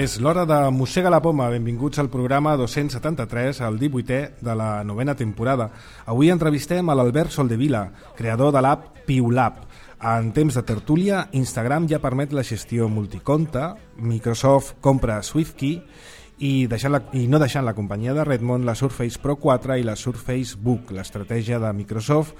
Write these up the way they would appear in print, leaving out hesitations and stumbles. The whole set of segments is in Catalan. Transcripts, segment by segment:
És l'hora de Mossega la Poma. Benvinguts al programa 273, el 18è de la 9a temporada. Avui entrevistem a l'Albert Soldevila, creador de l'app PiuLab. En temps de tertúlia, Instagram ja permet la gestió multiconte, Microsoft compra SwiftKey i no deixant la companyia de Redmond la Surface Pro 4 i la Surface Book, l'estratègia de Microsoft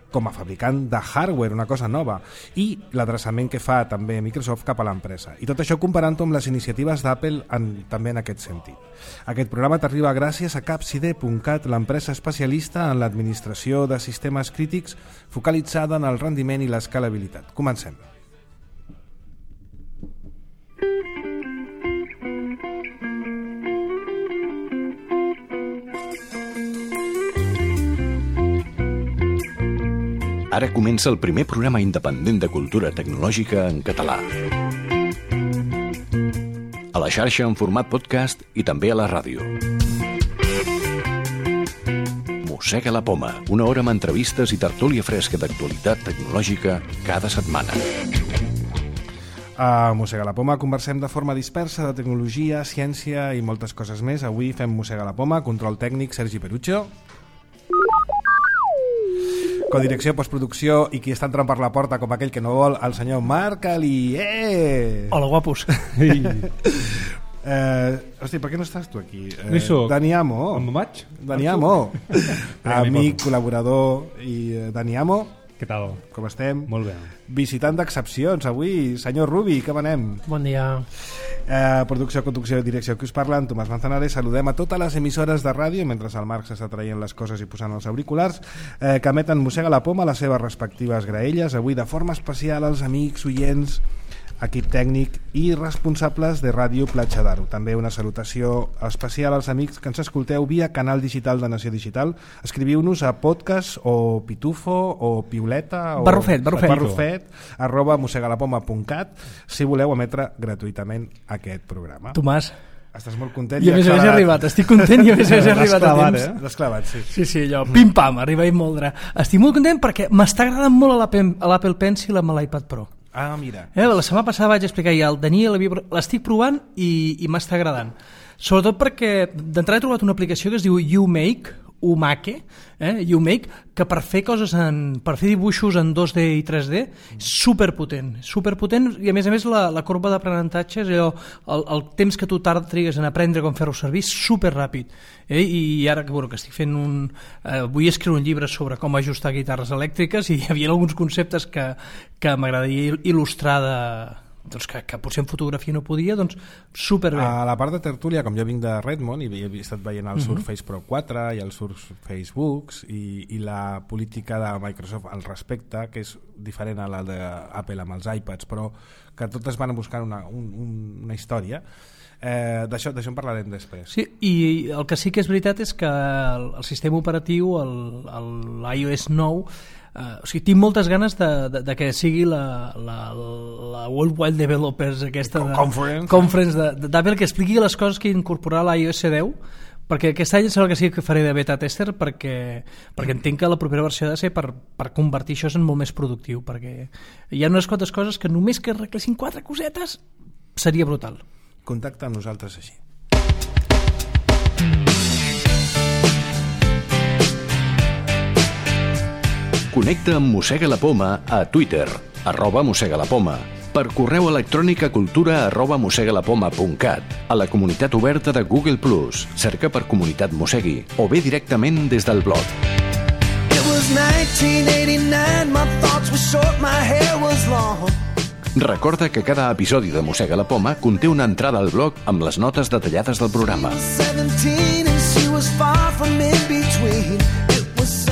com a fabricant de hardware, una cosa nova, i l'adreçament que fa també Microsoft cap a l'empresa. I tot això comparant-ho amb les iniciatives d'Apple també en aquest sentit. Aquest programa t'arriba gràcies a Capside.cat, l'empresa especialista en l'administració de sistemes crítics focalitzada en el rendiment i l'escalabilitat. Comencem. Ara comença el primer programa independent de cultura tecnològica en català. A la xarxa en format podcast i també a la ràdio. Mossega la Poma, una hora amb entrevistes i tertúlia fresca d'actualitat tecnològica cada setmana. A Mossega la Poma conversem de forma dispersa de tecnologia, ciència i moltes coses més. Avui fem Mossega la Poma, control tècnic Sergi Perucho. Codirecció, postproducció i qui està entrant per la porta com aquell que no vol, el senyor Marc Alié. Hola, guapos. Hosti, per què no estàs tu aquí? Dani Amo. On vaig? Dani Amo. Amic, col·laborador i Dani Amo. Què tal? Com estem? Molt bé. Visitant d'excepcions avui, senyor Rubi, com anem? Bon dia. Producció, conducció i direcció que us parlen, Tomàs Manzanares. Saludem a totes les emissores de ràdio, mentre el Marc s'està traient les coses i posant els auriculars, que emeten Mossega la Poma a les seves respectives graelles. Avui de forma especial als amics, oients, equip tècnic i responsables de Ràdio Platja d'Aro. També una salutació especial als amics que ens escolteu via canal digital de Nació Digital. Escriviu-nos a podcast o pitufo o piuleta o barrufet @mossegalapoma.cat si voleu emetre gratuïtament aquest programa. Tomàs, estàs molt content? i a més a més he arribat, estic content i a més a més he arribat a temps. L'has clavat, sí. Sí, allò, pim-pam, arriba i moldre. Estic molt content perquè m'està agradant molt l'Apple Pencil amb l'iPad Pro. Ah, mira. La setmana passada vaig explicar ja al Daniel, l'estic provant i m'està agradant. Sobretot perquè d'entrada he trobat una aplicació que es diu Umake, que per fer coses per fer dibuixos en 2D i 3D superpotent i a més la corba d'aprenentatge és allò, el temps que tu trigues en aprendre com fer-ho servir superràpid. I ara que estic fent vull escriure un llibre sobre com ajustar guitarres elèctriques i hi havia alguns conceptes que m'agradaria il·lustrar que potser en fotografia no podia, doncs superbé. A la part de tertúlia, com jo vinc de Redmond i he estat veient el Surface Pro 4 i el Surface Books i la política de Microsoft al respecte, que és diferent a la d'Apple amb els iPads, però que totes van a buscar una història. D'això en parlarem després. Sí, i el que sí que és veritat és que el sistema operatiu, l'iOS 9, tinc moltes ganes de que sigui la World Wide Developers aquesta Conference d'Apple, que expliqui les coses que incorporarà l'iOS 10, perquè aquest any sembla que sí que faré de beta tester perquè entenc que la propera versió ha de ser per convertir això en molt més productiu, perquè hi ha unes quantes coses que només que arreglessin 4 cosetes seria brutal. Contacta amb nosaltres així. Connecta amb Mossega la Poma a Twitter, @mossegalapoma, per correu electrònic a cultura@mossegalapoma.cat, a la comunitat oberta de Google+, cerca per Comunitat Mossegui, o bé directament des del blog. Recorda que cada episodi de Mossega la Poma conté una entrada al blog amb les notes detallades del programa.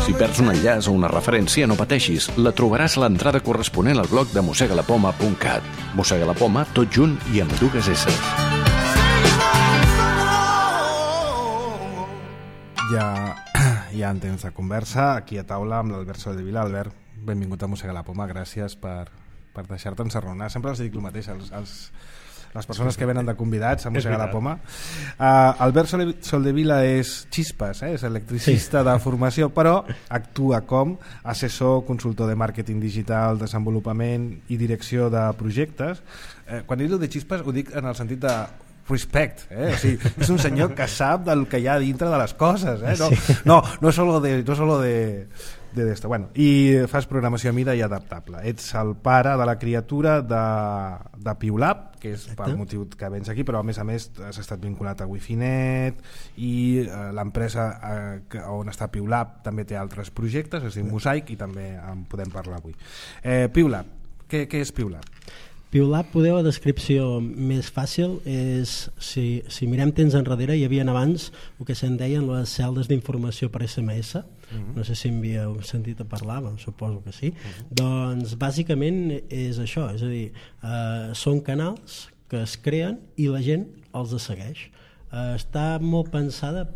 Si perds un enllaç o una referència, no pateixis, la trobaràs a l'entrada corresponent al blog de mossegalapoma.cat. Mossega la Poma, tot junt i amb 2 S. ja en temps de conversa, aquí a taula amb l'Albert Soldevila. Albert, benvingut a Mossega la Poma, gràcies per deixar-te encerronar. Sempre els dic el mateix, les persones que venen de convidats a Mossega la Poma. Albert Soldevila és Chispas, és electricista de formació, però actua com assessor, consultor de màrqueting digital, desenvolupament i direcció de projectes. Quan dic de Chispas ho dic en el sentit de respect, o sigui, és un senyor que sap del que hi ha dintre de les coses, no solo de d'esto. Bueno, i fas programació a mida i adaptable. Ets el pare de la criatura de PiuLab, que és pel motiu que vens aquí, però a més has estat vinculat a Wifinet i l'empresa on està PiuLab també té altres projectes, es diu Mosaic, i també en podem parlar avui. PiuLab, què és PiuLab? PiuLab, podeu, la descripció més fàcil és, si mirem temps enrere, hi havia abans el que se'n deien les celdes d'informació per SMS, no sé si en havíeu sentit a parlar, suposo que sí. Doncs bàsicament és això, és a dir, són canals que es creen i la gent els segueix. Està molt pensada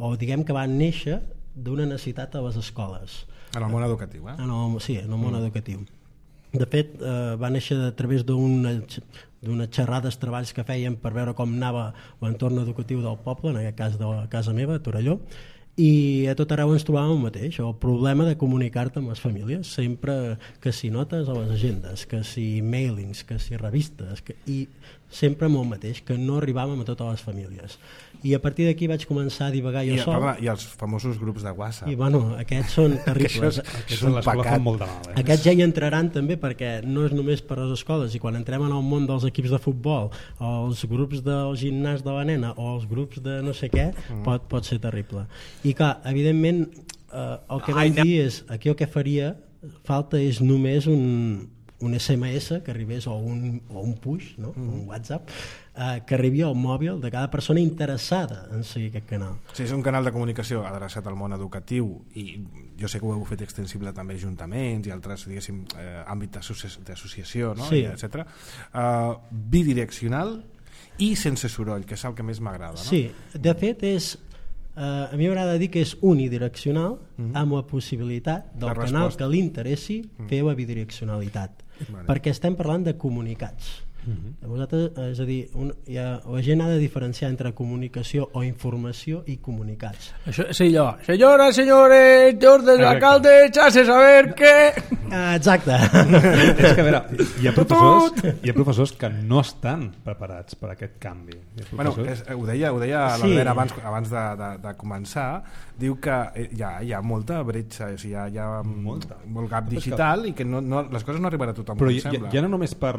o diguem que van néixer d'una necessitat a les escoles. En el món educatiu, Sí, en el món educatiu. De fet, va néixer a través d'unes xerrades, treballs que feien per veure com anava l'entorn educatiu del poble, en aquest cas de casa meva, a Torelló, i a tot arreu ens trobàvem el mateix, el problema de comunicar-te amb les famílies, sempre que si notes a les agendes, que si mailings, que si revistes, i sempre amb el mateix, que no arribàvem a totes les famílies. I a partir d'aquí vaig començar a divagar jo sol. I els famosos grups de WhatsApp. I bueno, aquests són terribles. Aquests són pecat. Molt de mal, Aquests ja hi entraran també, perquè no és només per a les escoles, i quan entrem en el món dels equips de futbol, o els grups del gimnàs de la nena, o els grups de no sé què, pot ser terrible. I clar, evidentment, el que vaig dir és, aquí el que faria falta és només un SMS que arribés, o un push, un WhatsApp, que arribi al mòbil de cada persona interessada en seguir aquest canal. Sí, és un canal de comunicació adreçat al món educatiu, i jo sé que ho heu fet extensible també a ajuntaments i altres, diguéssim, àmbits d'associació, etc. Bidireccional i sense soroll, que és el que més m'agrada. Sí, de fet és... a mi m'agrada dir que és unidireccional, amb la possibilitat del canal que li interessi fer la bidireccionalitat, perquè estem parlant de comunicats. Vosaltres, és a dir, la gent ha de diferenciar entre comunicació o informació i comunicats. Això és allò, senyores, senyores, orden l'alcalde, echase a ver què... Exacte. És que a veure, hi ha professors que no estan preparats per aquest canvi. Bueno, ho deia l'Albert abans de començar, diu que hi ha molta bretxa, hi ha molt gap digital i que les coses no arribaran a tothom, però com sembla. Ja no només per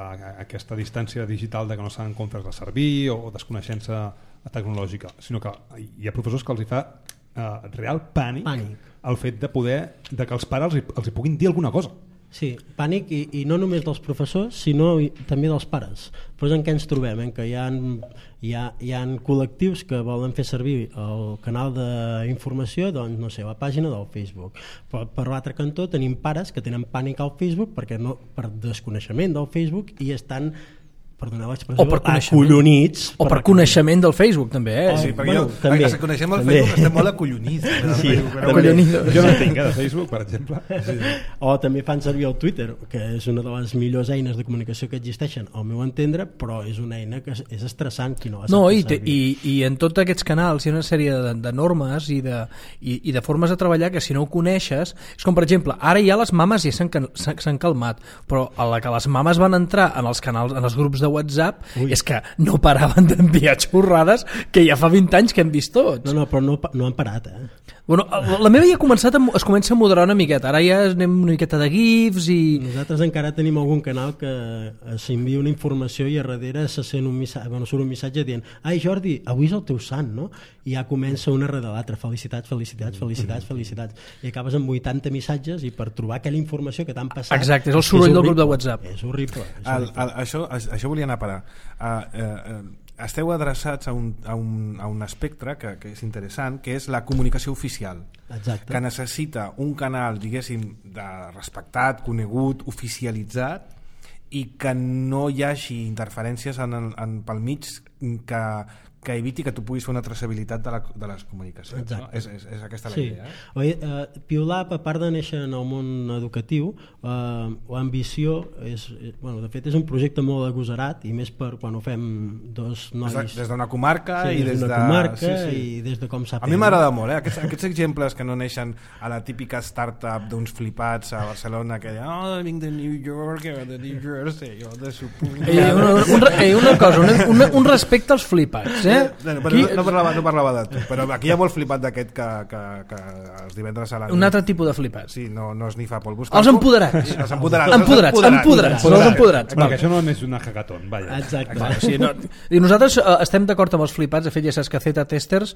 aquesta distància digital de que no saben com fer-la servir o desconeixença tecnològica, sinó que hi ha professors que els hi fa real pànic el fet de que els pares els hi puguin dir alguna cosa. Sí, pànic, i no només dels professors, sinó també dels pares. Però és en què ens trobem, que hi ha col·lectius que volen fer servir el canal d'informació, doncs, no sé, la pàgina del Facebook. Però per l'altre cantó tenim pares que tenen pànic al Facebook per desconeixement del Facebook i estan, perdoneu l'expressió, acollonits. O per coneixement del Facebook, també. Sí, perquè si coneixem el Facebook estem molt acollonits. Jo no tinc de Facebook, per exemple. O també fan servir el Twitter, que és una de les millors eines de comunicació que existeixen, al meu entendre, però és una eina que és estressant qui no la sap fer servir. I en tots aquests canals hi ha una sèrie de normes i de formes de treballar que si no ho coneixes, és com per exemple, ara ja les mames ja s'han calmat, però a la que les mames van entrar en els canals, en els grups de WhatsApp, és que no paraven d'enviar xorrades que ja fa 20 anys que hem vist tots. Però no han parat, Bueno, la meva ja es comença a moderar una miqueta, ara ja anem una miqueta de gifs i... Nosaltres encara tenim algun canal que s'envia una informació i a darrere se sent surt un missatge dient: ai Jordi, avui és el teu sant, no? I ja comença una rere l'altra, felicitats, i acabes amb 80 missatges i per trobar aquella informació que t'han passat... Exacte, és el soroll del grup de WhatsApp. És horrible. Això volia anar a parar. Esteu adreçats a un espectre que és interessant, que és la comunicació oficial. Exacte. Que necessita un canal, diguéssim, respectat, conegut, oficialitzat, i que no hi hagi interferències pel mig que eviti que tu puguis fer una traçabilitat de les comunicacions. No? És aquesta la idea. PiuLab, a part de néixer en el món educatiu, l'ambició de fet és un projecte molt agosarat, i més per quan ho fem dos nois des d'una comarca, i des de com s'ha fet. A mi m'agrada molt, aquests exemples que no neixen a la típica startup d'uns flipats a Barcelona que diuen, vinc de New York o de New Jersey o de una cosa, un respecte als flipats, no parlava de tu, però aquí hi ha molt flipat d'aquest que els divendres a la nit... Un altre tipus de flipats. Sí, no es nifa polvos. Els empoderats. Els empoderats. Perquè això no és una hackathon, vaja. Exacte. I nosaltres estem d'acord amb els flipats. De fet, ja saps que Zeta Testers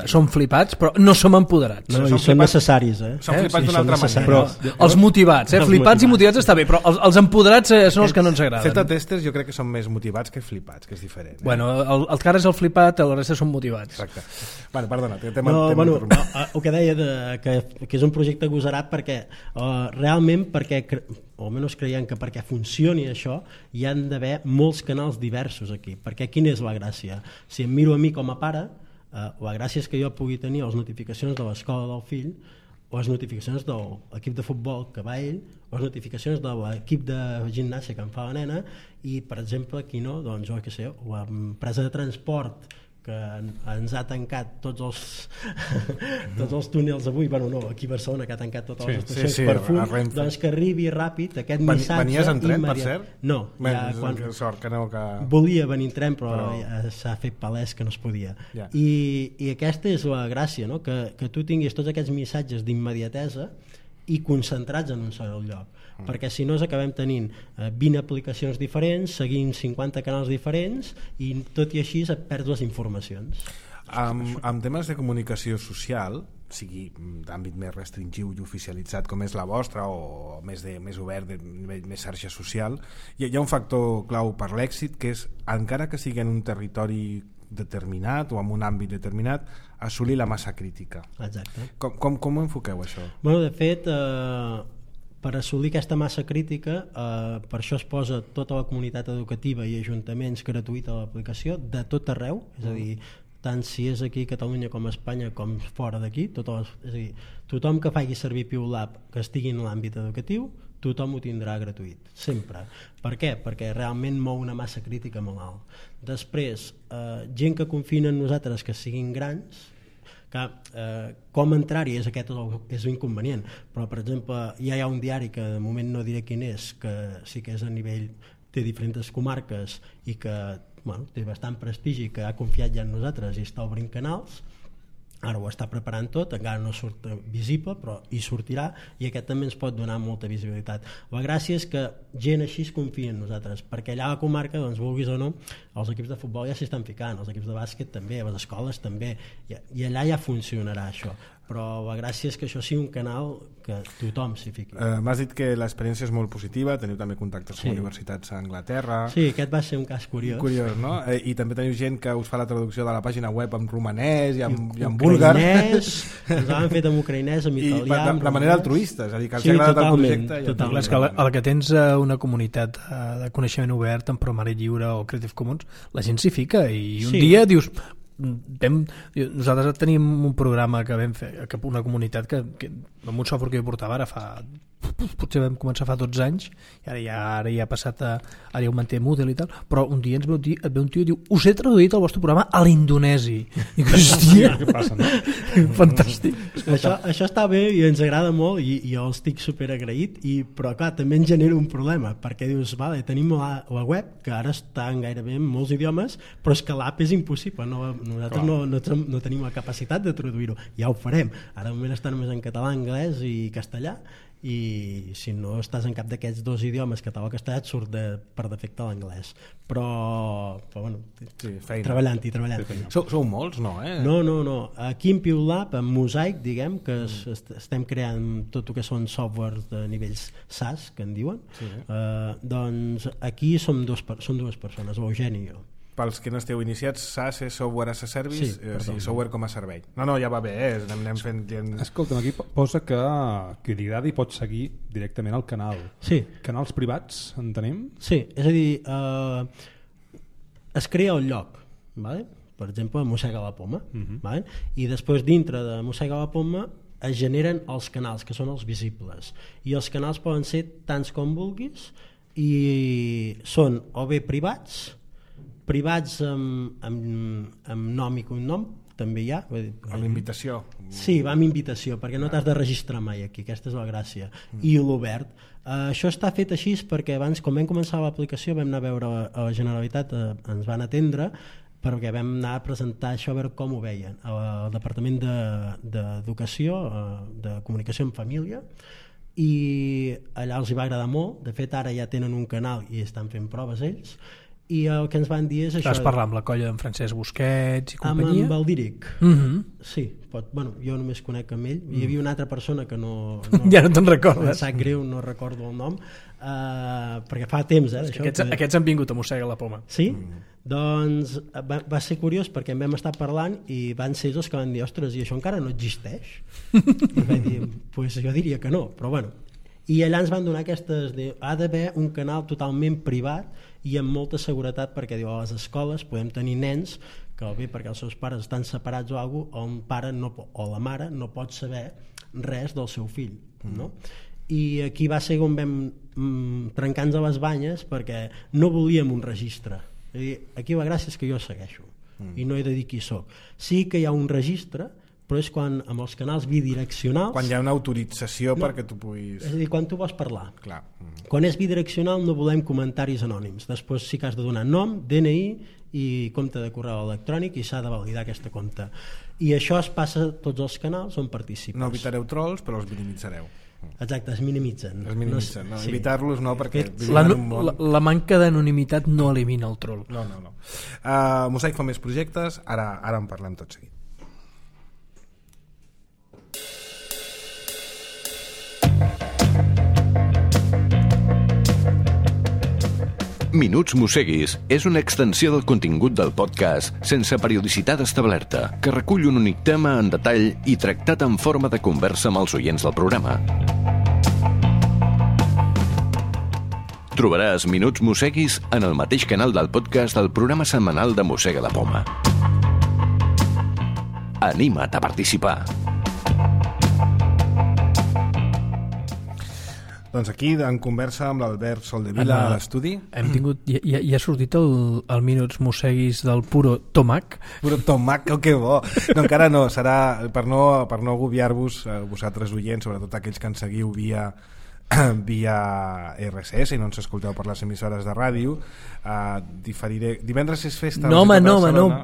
som flipats, però no som empoderats. No, i són necessaris. Són flipats d'una altra manera. Els motivats, flipats i motivats està bé, però els empoderats són els que no ens agraden. Zeta Testers jo crec que són més motivats que flipats, que és diferent. Bueno, el que ara és el flipat, la resta són motivats. Exacte. Perdona, el que deia que és un projecte agosarat perquè realment o almenys creiem que perquè funcioni això hi han d'haver molts canals diversos aquí, perquè quina és la gràcia? Si em miro a mi com a pare, la gràcia és que jo pugui tenir les notificacions de l'escola del fill, o les notificacions de l'equip de futbol que va ell, o les notificacions de l'equip de gimnàsia que em fa la nena, i per exemple aquí no, doncs jo què sé, l'empresa de transport que ens ha tancat tots els túnels avui, aquí a Barcelona, que ha tancat totes les estacions per fum, doncs que arribi ràpid aquest missatge. Venies en tren, per cert? No, sort que no, volia venir en tren, però s'ha fet palès que no es podia. I aquesta és la gràcia, no? Que tu tinguis tots aquests missatges d'immediatesa i concentrats en un sol lloc, perquè si no acabem tenint 20 aplicacions diferents, seguint 50 canals diferents, i tot i així et perds les informacions. En temes de comunicació social, sigui d'àmbit més restringiu i oficialitzat com és la vostra, o més obert, més xarxa social, hi ha un factor clau per l'èxit, que és, encara que sigui en un territori determinat o en un àmbit determinat, assolir la massa crítica. Exacte. Com ho enfoqueu, això? Bueno, de fet, per assolir aquesta massa crítica, per això es posa tota la comunitat educativa i ajuntaments gratuïta a l'aplicació de tot arreu, és a dir, tant si és aquí a Catalunya com a Espanya com fora d'aquí, és a dir, tothom que faci servir PiuLab que estigui en l'àmbit educatiu, tothom ho tindrà gratuït, sempre. Per què? Perquè realment mou una massa crítica molt alt. Després, gent que confia en nosaltres que siguin grans, que com entrar-hi és inconvenient, però per exemple ja hi ha un diari que de moment no diré quin és, que sí que és a nivell, té diferents comarques i que té bastant prestigi, que ha confiat ja en nosaltres i està obrint canals. Ara ho està preparant tot, encara no surt visible, però hi sortirà, i aquest també ens pot donar molta visibilitat. La gràcia és que gent així es confia en nosaltres, perquè allà a la comarca, doncs, vulguis o no, els equips de futbol ja s'hi estan ficant, els equips de bàsquet també, les escoles també, i allà ja funcionarà això. Però la gràcia és que això sigui un canal que tothom s'hi fiqui. M'has dit que l'experiència és molt positiva, teniu també contactes amb universitats a Anglaterra. Sí, aquest va ser un cas curiós. Curiós, no? I també teniu gent que us fa la traducció de la pàgina web en romanès i en búlgar. Ens l'han fet en ucraïnès, en italià... I de manera altruista, és a dir, que els ha agradat el projecte. Totalment. És que a la que tens una comunitat de coneixement obert en programari lliure o Creative Commons, la gent s'hi fica i un dia dius... nosaltres tenim un programa que vam fer, una comunitat que amb un software que jo portava ara potser vam començar fa 12 anys i ara ja ha passat ara ja ho manté Moodle i tal, però un dia et ve un tio i diu, us he traduït el vostre programa a l'indonesi. I dic, hòstia, què passa, no? Fantàstic. Això està bé i ens agrada molt i jo estic super agraït, però clar, també ens genera un problema, perquè dius, vale, tenim la web que ara està en gairebé en molts idiomes, però és que l'app és impossible, nosaltres no tenim la capacitat de traduir-ho, ja ho farem, ara de moment està només en català, anglès i castellà, i si no estàs en cap d'aquests dos idiomes, català o castellà, et surt per defecte l'anglès, però bueno, treballant-hi. Sou molts, no? No, aquí en PiuLab, en Mosaic, diguem que estem creant tot el que són softwares de nivells SaaS, que en diuen, doncs aquí som dues persones, l'Eugeni i jo. Pels que no esteu iniciats, SaaS és Software as a Service, software com a servei. No, ja va bé, anem fent... Escolta'm, aquí posa que li agradi i pot seguir directament al canal. Sí. Canals privats, entenem? Sí, és a dir, es crea el lloc, vale? per exemple, Mossega la Poma, vale? I després dintre de Mossega la Poma es generen els canals, que són els visibles, i els canals poden ser tants com vulguis, i són o bé privats amb nom i cognom, també hi ha. Amb invitació. Sí, va amb invitació, perquè no t'has de registrar mai aquí, aquesta és la gràcia. I l'obert. Això està fet així perquè abans, quan vam començar l'aplicació, vam anar a veure a la Generalitat, ens van atendre, perquè vam anar a presentar això a veure com ho veien. Al Departament d'Educació, de Comunicació en Família, i allà els hi va agradar molt. De fet, ara ja tenen un canal i estan fent proves ells, i el que ens van dir és això. Vas parlar amb la colla d'en Francesc Busquets i companyia? Amb el Díric. Sí, bueno, jo només conec amb ell. Hi havia una altra persona que no ja no te'n recordes. Em sap greu, no recordo el nom, perquè fa temps d'això. Aquests han vingut a Mossega la Poma. Sí? Doncs va ser curiós perquè en vam estar parlant i van ser els que van dir, ostres, i això encara no existeix? I vaig dir, pues jo diria que no, però bueno. I allà ens van donar aquestes, ha d'haver un canal totalment privat i amb molta seguretat, perquè diu, a les escoles podem tenir nens que bé perquè els seus pares estan separats o alguna cosa, on pare o la mare no pot saber res del seu fill, no? I aquí va ser on vam trencar-nos a les banyes perquè no volíem un registre. Aquí la gràcia és que jo segueixo i no he de dir qui soc. Sí que hi ha un registre, però és quan amb els canals bidireccionals, quan hi ha una autorització perquè tu puguis... És a dir, quan tu vols parlar. Clar. Quan és bidireccional no volem comentaris anònims. Després sí que has de donar nom, DNI i compte de correu electrònic i s'ha de validar aquesta compte. I això es passa a tots els canals on participes. No evitareu trolls, però els minimitzareu. Exacte, es minimitzen. Es minimitzen, no, sí. Evitar-los no, perquè... La manca d'anonimitat no elimina el troll. No. Mosaic fa més projectes, ara en parlem tot seguit. Minuts Mosseguis és una extensió del contingut del podcast sense periodicitat establerta, que recull un únic tema en detall i tractat en forma de conversa amb els oients del programa. Trobaràs Minuts Mosseguis en el mateix canal del podcast del programa setmanal de Mossega la Poma. Anima't a participar! Doncs aquí, en conversa amb l'Albert Soldevila a l'estudi. Hem tingut, ja ha sortit el Minuts Mosseguis del puro tomac. Puro tomac, que bo. No, encara no, serà per no agobiar-vos, vosaltres oients, sobretot aquells que ens seguiu via RSS i no ens escolteu per les emissores de ràdio. Diferiré. Divendres és festa. No,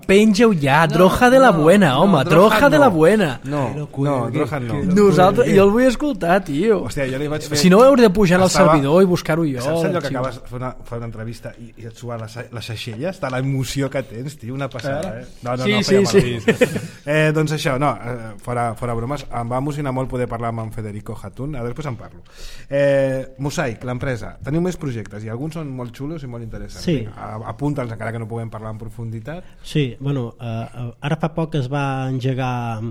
penja-ho ja. Droja de la buena, home. Droja de la buena. No, Droja no. Nosaltres, jo el vull escoltar, tio. Hòstia, jo li vaig fer... Si no, hauré de pujar al servidor i buscar-ho jo. Saps allò que acabes de fer una entrevista i et suar les aixelles? Està l'emoció que tens, tio, una passada. No, sí. Doncs això, no, fora bromes, em va emocionar molt poder parlar amb en Federico Hatun, després en parlo. Mosaic, l'empresa, teniu més projectes i alguns són molt xulos i molt interessants. Sí. Apunta'ls encara que no puguem parlar en profunditat. Sí, bueno, ara fa poc es va engegar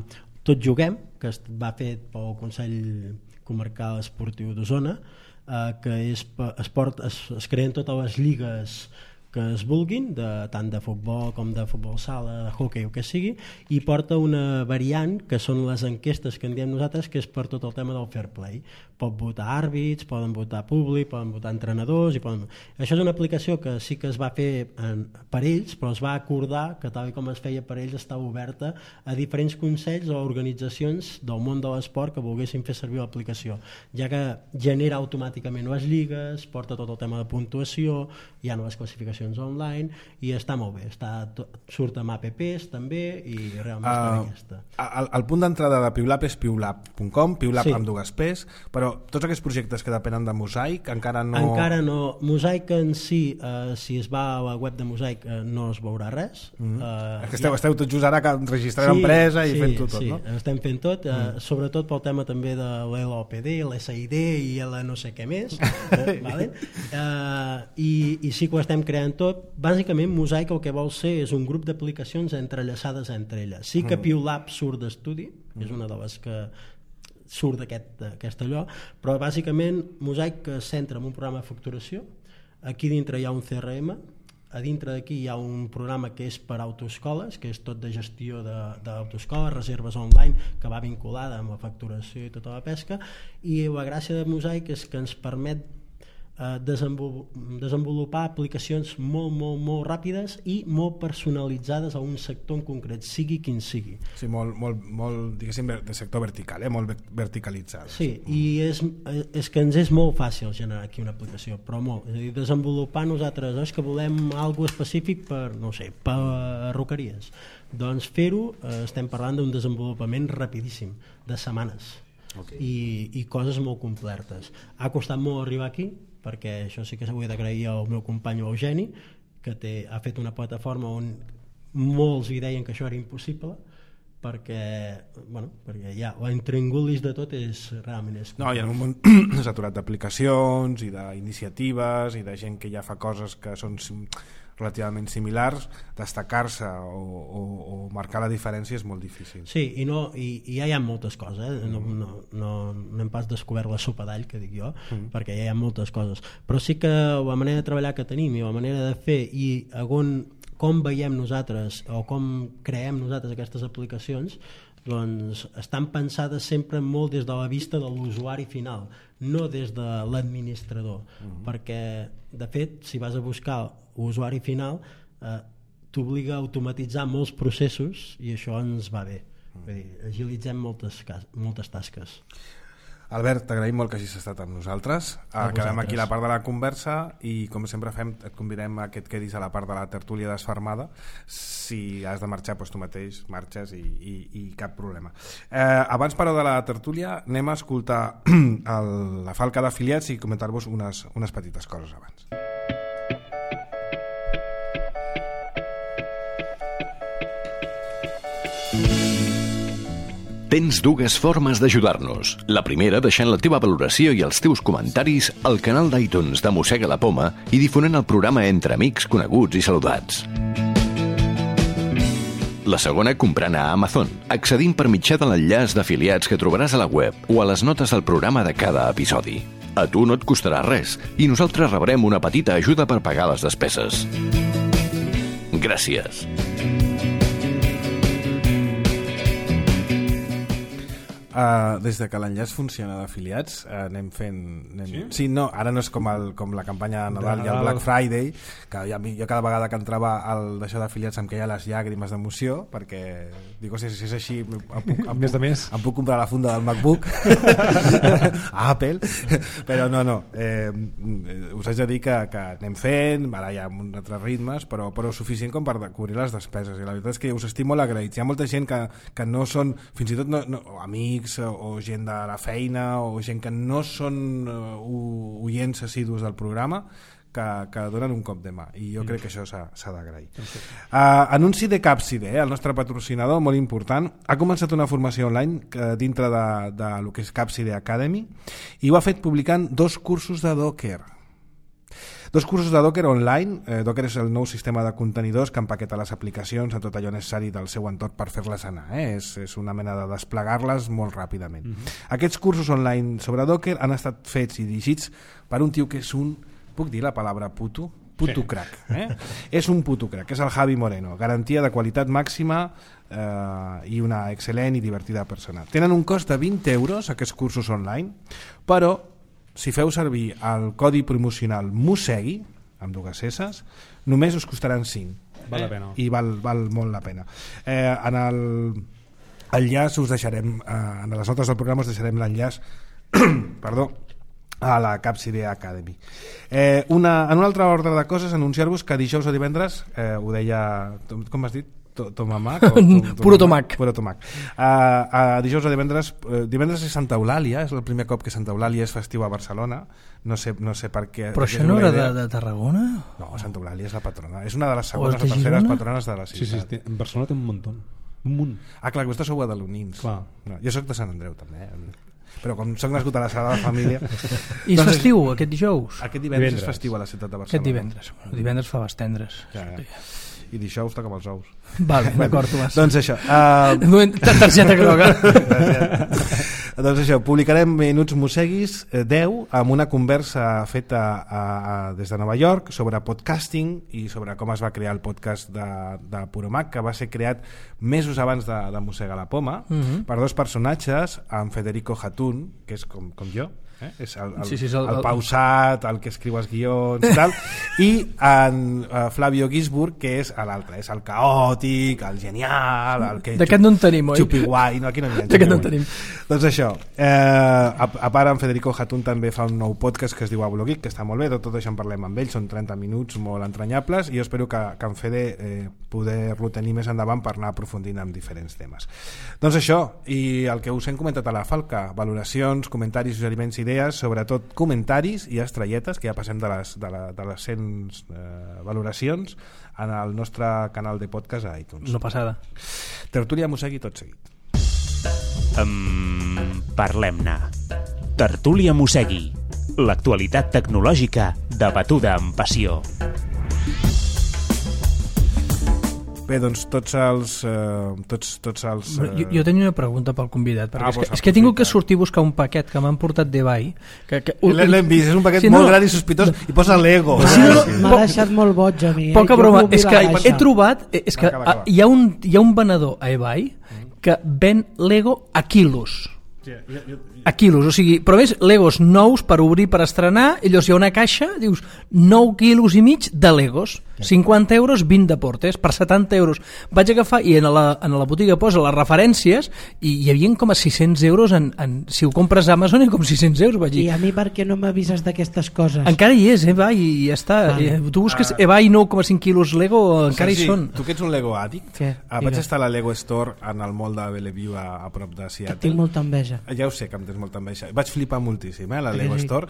Tot Juguem, que es va fer pel Consell Comarcal Esportiu d'Osona, que es creen totes les lligues que es vulguin, tant de futbol com de futbol sala, de hoquei o que sigui, i porta una variant que són les enquestes que en diem nosaltres, que és per tot el tema del fair play. Pot votar àrbits, poden votar públic, poden votar entrenadors, això és una aplicació que sí que es va fer per ells, però es va acordar que tal com es feia per ells estava oberta a diferents consells o organitzacions del món de l'esport que volguessin fer servir l'aplicació, ja que genera automàticament les lligues, porta tot el tema de puntuació, hi ha noves classificacions online i està molt bé, surt amb apps també i realment està aquesta. El punt d'entrada de Piulap és piulap.com, Piulap amb dues P's, però tots aquests projectes que depenen de Mosaic encara no... Mosaic en si, si es va a la web de Mosaic no es veurà res. Esteu tot just ara registrant l'empresa i fent tot, no? Sí, estem fent tot, sobretot pel tema també de l'LOPD, l'SID i el no sé què més, vale? I sí que ho estem creant tot. Bàsicament Mosaic el que vol ser és un grup d'aplicacions entrellaçades entre elles. Sí que Piulap surt d'estudi, és una de les que surt d'aquest allò, però bàsicament Mosaic es centra en un programa de facturació, aquí dintre hi ha un CRM, a dintre d'aquí hi ha un programa que és per autoescoles, que és tot de gestió d'autoescoles, reserves online, que va vinculada amb la facturació i tota la pesca, i la gràcia de Mosaic és que ens permet desenvolupar aplicacions molt ràpides i molt personalitzades a un sector en concret, sigui quin sigui. Sí, molt diguéssim, de sector vertical, molt verticalitzat. Sí, i és que ens és molt fàcil generar aquí una aplicació, però molt. És a dir, desenvolupar nosaltres, és que volem alguna específic per, no sé, per roqueries. Doncs fer-ho, estem parlant d'un desenvolupament rapidíssim, de setmanes. Okay. I coses molt completes. Ha costat molt arribar aquí, perquè això sí que s'ho he d'agrair al meu company Eugeni, que ha fet una plataforma on molts hi deien que això era impossible, perquè ja l'intríngulis de tot és realment no, i en un món saturat d'aplicacions i d'iniciatives i de gent que ja fa coses que són relativament similars, destacar-se o marcar la diferència és molt difícil. Sí, i ja hi ha moltes coses, no hem pas descobert la sopa d'all, que dic jo, perquè ja hi ha moltes coses, però sí que la manera de treballar que tenim i la manera de fer i com veiem nosaltres o com creem nosaltres aquestes aplicacions, doncs estan pensades sempre molt des de la vista de l'usuari final, no des de l'administrador, perquè de fet si vas a buscar l'usuari final t'obliga a automatitzar molts processos i això ens va bé. Vull dir, agilitzem moltes tasques. Albert, t'agraïm molt que hagis estat amb nosaltres. Acabem aquí la part de la conversa i com sempre fem, et convidem a que et quedis a la part de la tertúlia desfermada. Si has de marxar, doncs tu mateix marxes i cap problema. Abans però de la tertúlia anem a escoltar la falca d'afiliats i comentar-vos unes petites coses abans. Tens dues formes d'ajudar-nos. La primera, deixant la teva valoració i els teus comentaris al canal d'iTunes de Mossega la Poma i difonent el programa entre amics, coneguts i saludats. La segona, comprant a Amazon, accedint per mitjà de l'enllaç d'afiliats que trobaràs a la web o a les notes del programa de cada episodi. A tu no et costarà res i nosaltres rebrem una petita ajuda per pagar les despeses. Gràcies. Des de que l'enllaç funciona d'afiliats anem fent... Sí, no, ara no és com la campanya de Nadal i el Black Friday, que jo cada vegada que entrava d'això d'afiliats em queia les llàgrimes d'emoció, perquè dic, si és així em puc comprar la funda del MacBook a Apple, però no, us haig de dir que anem fent, ara hi ha uns altres ritmes, però suficient com per cobrir les despeses, i la veritat és que us estic molt agraïts. Hi ha molta gent que no són, fins i tot amics o gent de la feina o gent que no són oients assidus del programa que donen un cop de mà, i jo crec que això s'ha d'agrair. Anunci de Capside, el nostre patrocinador molt important, ha començat una formació online dintre de lo que és Capside Academy i ho ha fet publicant 2 cursos de Docker. 2 cursos de Docker online. Docker és el nou sistema de contenidors que empaqueta les aplicacions a tot allò necessari del seu entorn per fer-les anar. És una mena de desplegar-les molt ràpidament. Aquests cursos online sobre Docker han estat fets i dirigits per un tio que és un... Puc dir la paraula puto? Puto crack. És un puto crack, és el Javi Moreno. Garantia de qualitat màxima i una excel·lent i divertida persona. Tenen un cost de 20 euros aquests cursos online, però si feu servir el codi promocional MOSEGUI, amb 2 S, només us costaran 5. Val la pena. I val molt la pena. En l'enllaç us deixarem, en les notes del programa us deixarem l'enllaç perdó, a la Capside Academy. En un altre ordre de coses, anunciar-vos que dijous o divendres, ho deia, com has dit? Tomamac? Puro tomac. Dijous o divendres és Santa Eulàlia, és el primer cop que Santa Eulàlia és festiu a Barcelona, no sé per què. Però això no era de Tarragona? No, Santa Eulàlia és la patrona, és una de les segones o terceres patrones de la ciutat. Sí, en Barcelona té un munt. Clar, que vostè sou badalonins. No, jo soc de Sant Andreu també, però com soc nascut a la Sagrada Família... I és festiu aquest dijous? Aquest divendres és festiu a la ciutat de Barcelona. Aquest divendres fa les tendres. I dijous toca amb els ous. Vale, d'acord, Tomàs. Doncs això. Targeta groga. Doncs això, publicarem Minuts Mosseguis 10 amb una conversa feta des de Nova York sobre podcasting i sobre com es va crear el podcast de Puromac, que va ser creat mesos abans de Mossega la Poma, per dos personatges, en Federico Hatun, que és com jo, és el pausat, el que escriu els guions i tal, i en Flavio Gisburg, que és l'altre, és el caòtic, el genial, el que d'aquest no en tenim, oi? Xupiguai, no, aquí no n'hi ha. D'aquest no en tenim. Doncs això, a part en Federico Hatun també fa un nou podcast que es diu Abuelo-Geek, que està molt bé, tot això en parlem amb ell, són 30 minuts molt entranyables i jo espero que en Fede poder-lo tenir més endavant per anar aprofundint en diferents temes. Doncs això, i el que us hem comentat a la Falca, valoracions, comentaris, suggeriments, idees, sobretot comentaris i estrelletes, que ja passem de les 100 valoracions en el nostre canal de podcast a iTunes. No passada. Tertúlia Mossegui tot seguit. Parlem-ne. Tertúlia Mossegui. L'actualitat tecnològica debatuda amb passió. Bé, doncs tots els... Jo tenia una pregunta pel convidat, perquè és que he tingut que sortir a buscar un paquet que m'han portat d'eBay. L'hem vist, és un paquet molt gran i sospitós i posa Lego. M'ha deixat molt boig a mi. Poca broma, és que he trobat... És que hi ha un venedor a eBay que ven Lego a quilos. A quilos, o sigui, però més Legos nous per obrir, per estrenar, i llavors hi ha una caixa, dius 9 quilos i mig de Legos, 50 euros, 20 deportes, per 70 euros. Vaig agafar, i en la botiga posa les referències, i hi havia com a 600 euros, si ho compres a Amazon, hi ha com 600 euros, vaig dir. I a mi per què no m'avises d'aquestes coses? Encara hi és, eBay, i ja està. Tu busques eBay 9,5 quilos Lego, encara hi són. Tu que ets un Lego àdic, vaig estar a la Lego Store en el mall de Bellevue a prop de Seattle. Tinc molta enveja. Ja ho sé que em tens molta enveja. Vaig flipar moltíssim, la Lego Store.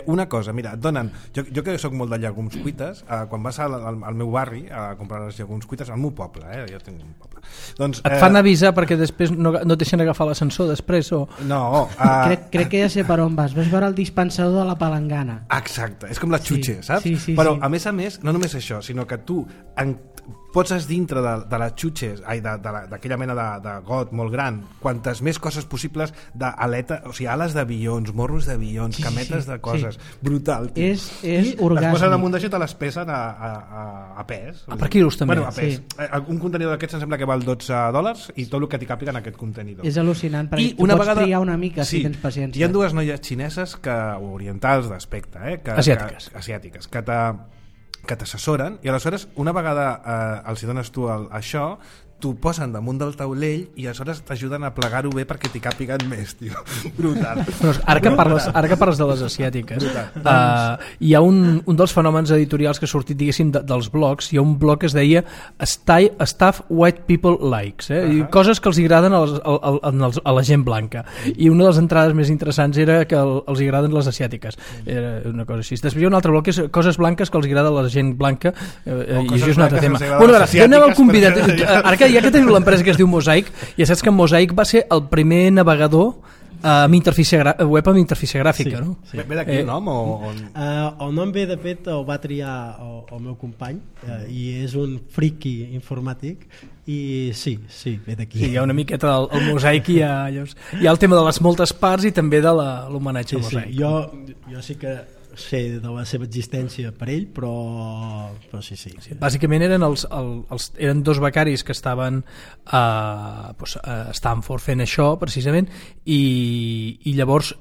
Una cosa, mira, et donen... Jo que soc molt de llegums cuites, quan vas al meu barri a comprar les llegums cuites, al meu poble, jo tinc un poble. Doncs, et fan avisar perquè després no et deixen agafar l'ascensor després? O... No. Crec que ja sé per on vas. Vas veure el dispensador de la palangana. Exacte, és com la xutxe, saps? Sí, però a més, no només això, sinó que tu poses dintre de les xutxes, d'aquella mena de got molt gran, quantes més coses possibles d'aleta, o sigui, ales d'avions, morros d'avions, cametes de coses, brutal. És orgàsmic. Les posen damunt d'això i te les pesen a pes. Per quilos també. Bueno, a pes. Un contenidor d'aquests em sembla que val $12 i tot el que t'hi càpiga en aquest contenidor. És al·lucinant, perquè tu pots triar una mica si tens paciència. Hi ha dues noies xineses orientals d'aspecte, asiàtiques, que t'assessoren, i aleshores una vegada els dones tu això, t'ho posen damunt del taulell i aleshores t'ajuden a plegar-ho bé perquè t'hi càpiguen més, tio. Brutal. Però ara que parles de les asiàtiques, hi ha un dels fenòmens editorials que ha sortit, diguéssim, dels blogs. Hi ha un blog que es deia Stuff White People Likes, coses que els agraden a la gent blanca, i una de les entrades més interessants era que els agraden les asiàtiques, era una cosa així. Després hi ha un altre blog que és coses blanques que els agrada a la gent blanca, i això és un altre tema. Bueno, ara, jo anava al convidat, ara que ja que teniu l'empresa que es diu Mosaic, ja saps que Mosaic va ser el primer navegador amb interfície web amb interfície gràfica, no? Sí. Ve d'aquí el nom? El nom ve, de fet, el va triar el meu company, i és un friki informàtic, i sí, ve d'aquí. Sí, hi ha una miqueta el Mosaic, hi ha el tema de les moltes parts i també de l'homenatge al Mosaic. Jo sí que sé de la seva existència per ell, però sí. Bàsicament eren dos becaris que estaven a Stanford fent això precisament, i llavors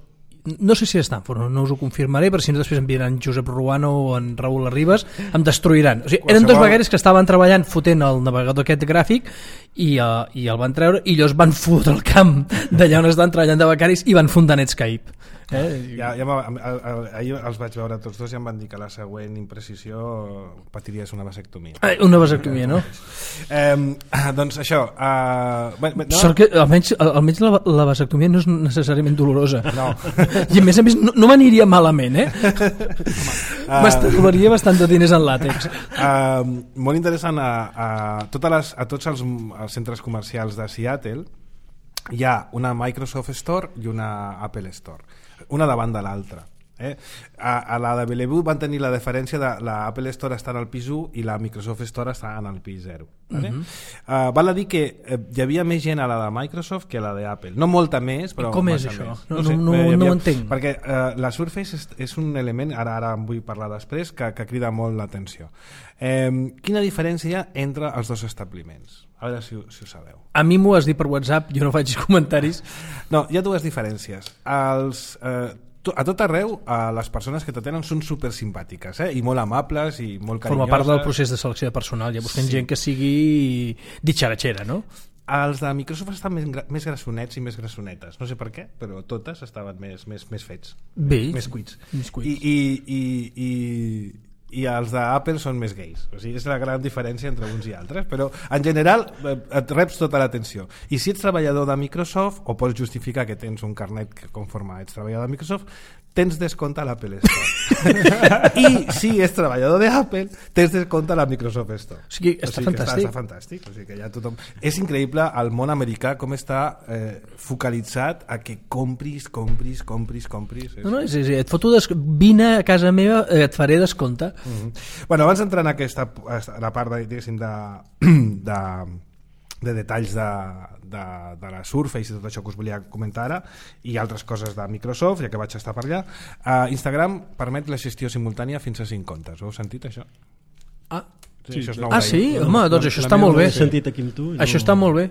no sé si a Stanford, no us ho confirmaré, però si no després em diran Josep Ruano o en Raül Arribas, em destruiran. O sigui, eren dos becaris que estaven treballant fotent el navegador aquest gràfic i el van treure, i llavors van fotre el camp d'allà on estaven treballant de becaris i van fundar Netscape. Ahir els vaig veure tots dos i em van dir que la següent imprecisió patiries una vasectomia. Una vasectomia, no? Doncs això, sort que almenys la vasectomia no és necessàriament dolorosa, no. I a més no m'aniria malament, m'estalviaria bastant de diners en làtex. Molt interessant, a tots els centres comercials de Seattle hi ha una Microsoft Store i una Apple Store, una davant de l'altra. A la de Bellevue van tenir la diferència de la Apple Store està en el pis 1 i la Microsoft Store està en el pis 0. Val a dir que hi havia més gent a la de Microsoft que a la d'Apple. No molta més, però... I com és això? No ho entenc. Perquè la Surface és un element, ara en vull parlar després, que crida molt l'atenció. Quina diferència hi ha entre els dos establiments? A veure si ho sabeu. A mi m'ho has dit per WhatsApp, jo no faig comentaris. No, hi ha dues diferències. A tot arreu, les persones que t'atenen són super simpàtiques, i molt amables i molt carinyoses. Forma part del procés de selecció de personal, ja busquen gent que sigui ditxaratxera, no? Els de Microsoft estan més grassonets i més grassonetes. No sé per què, però totes estaven més fets. Bé. Més cuits. I els d'Apple són més gais. O sigui, és la gran diferència entre uns i altres, però en general et reps tota l'atenció. I si ets treballador de Microsoft, o pots justificar que tens un carnet que conforme ets treballador de Microsoft, tens descompte a l'Apple Store. I si ets treballador d'Apple, tens descompte a la Microsoft Store. O sigui, està fantàstic. Està fantàstic. O sigui, que ja tothom... És increïble el món americà com està focalitzat a que compris. No, et foto vine a casa meva, et faré descompte. Bueno, abans d'entrar en la part de detalls de la Surface i tot això que us volia comentar ara i altres coses de Microsoft, ja que vaig estar per allà, Instagram permet la gestió simultània fins a 5 comptes. Ho heu sentit, això? Sí, home, doncs això està molt bé. Això està molt bé.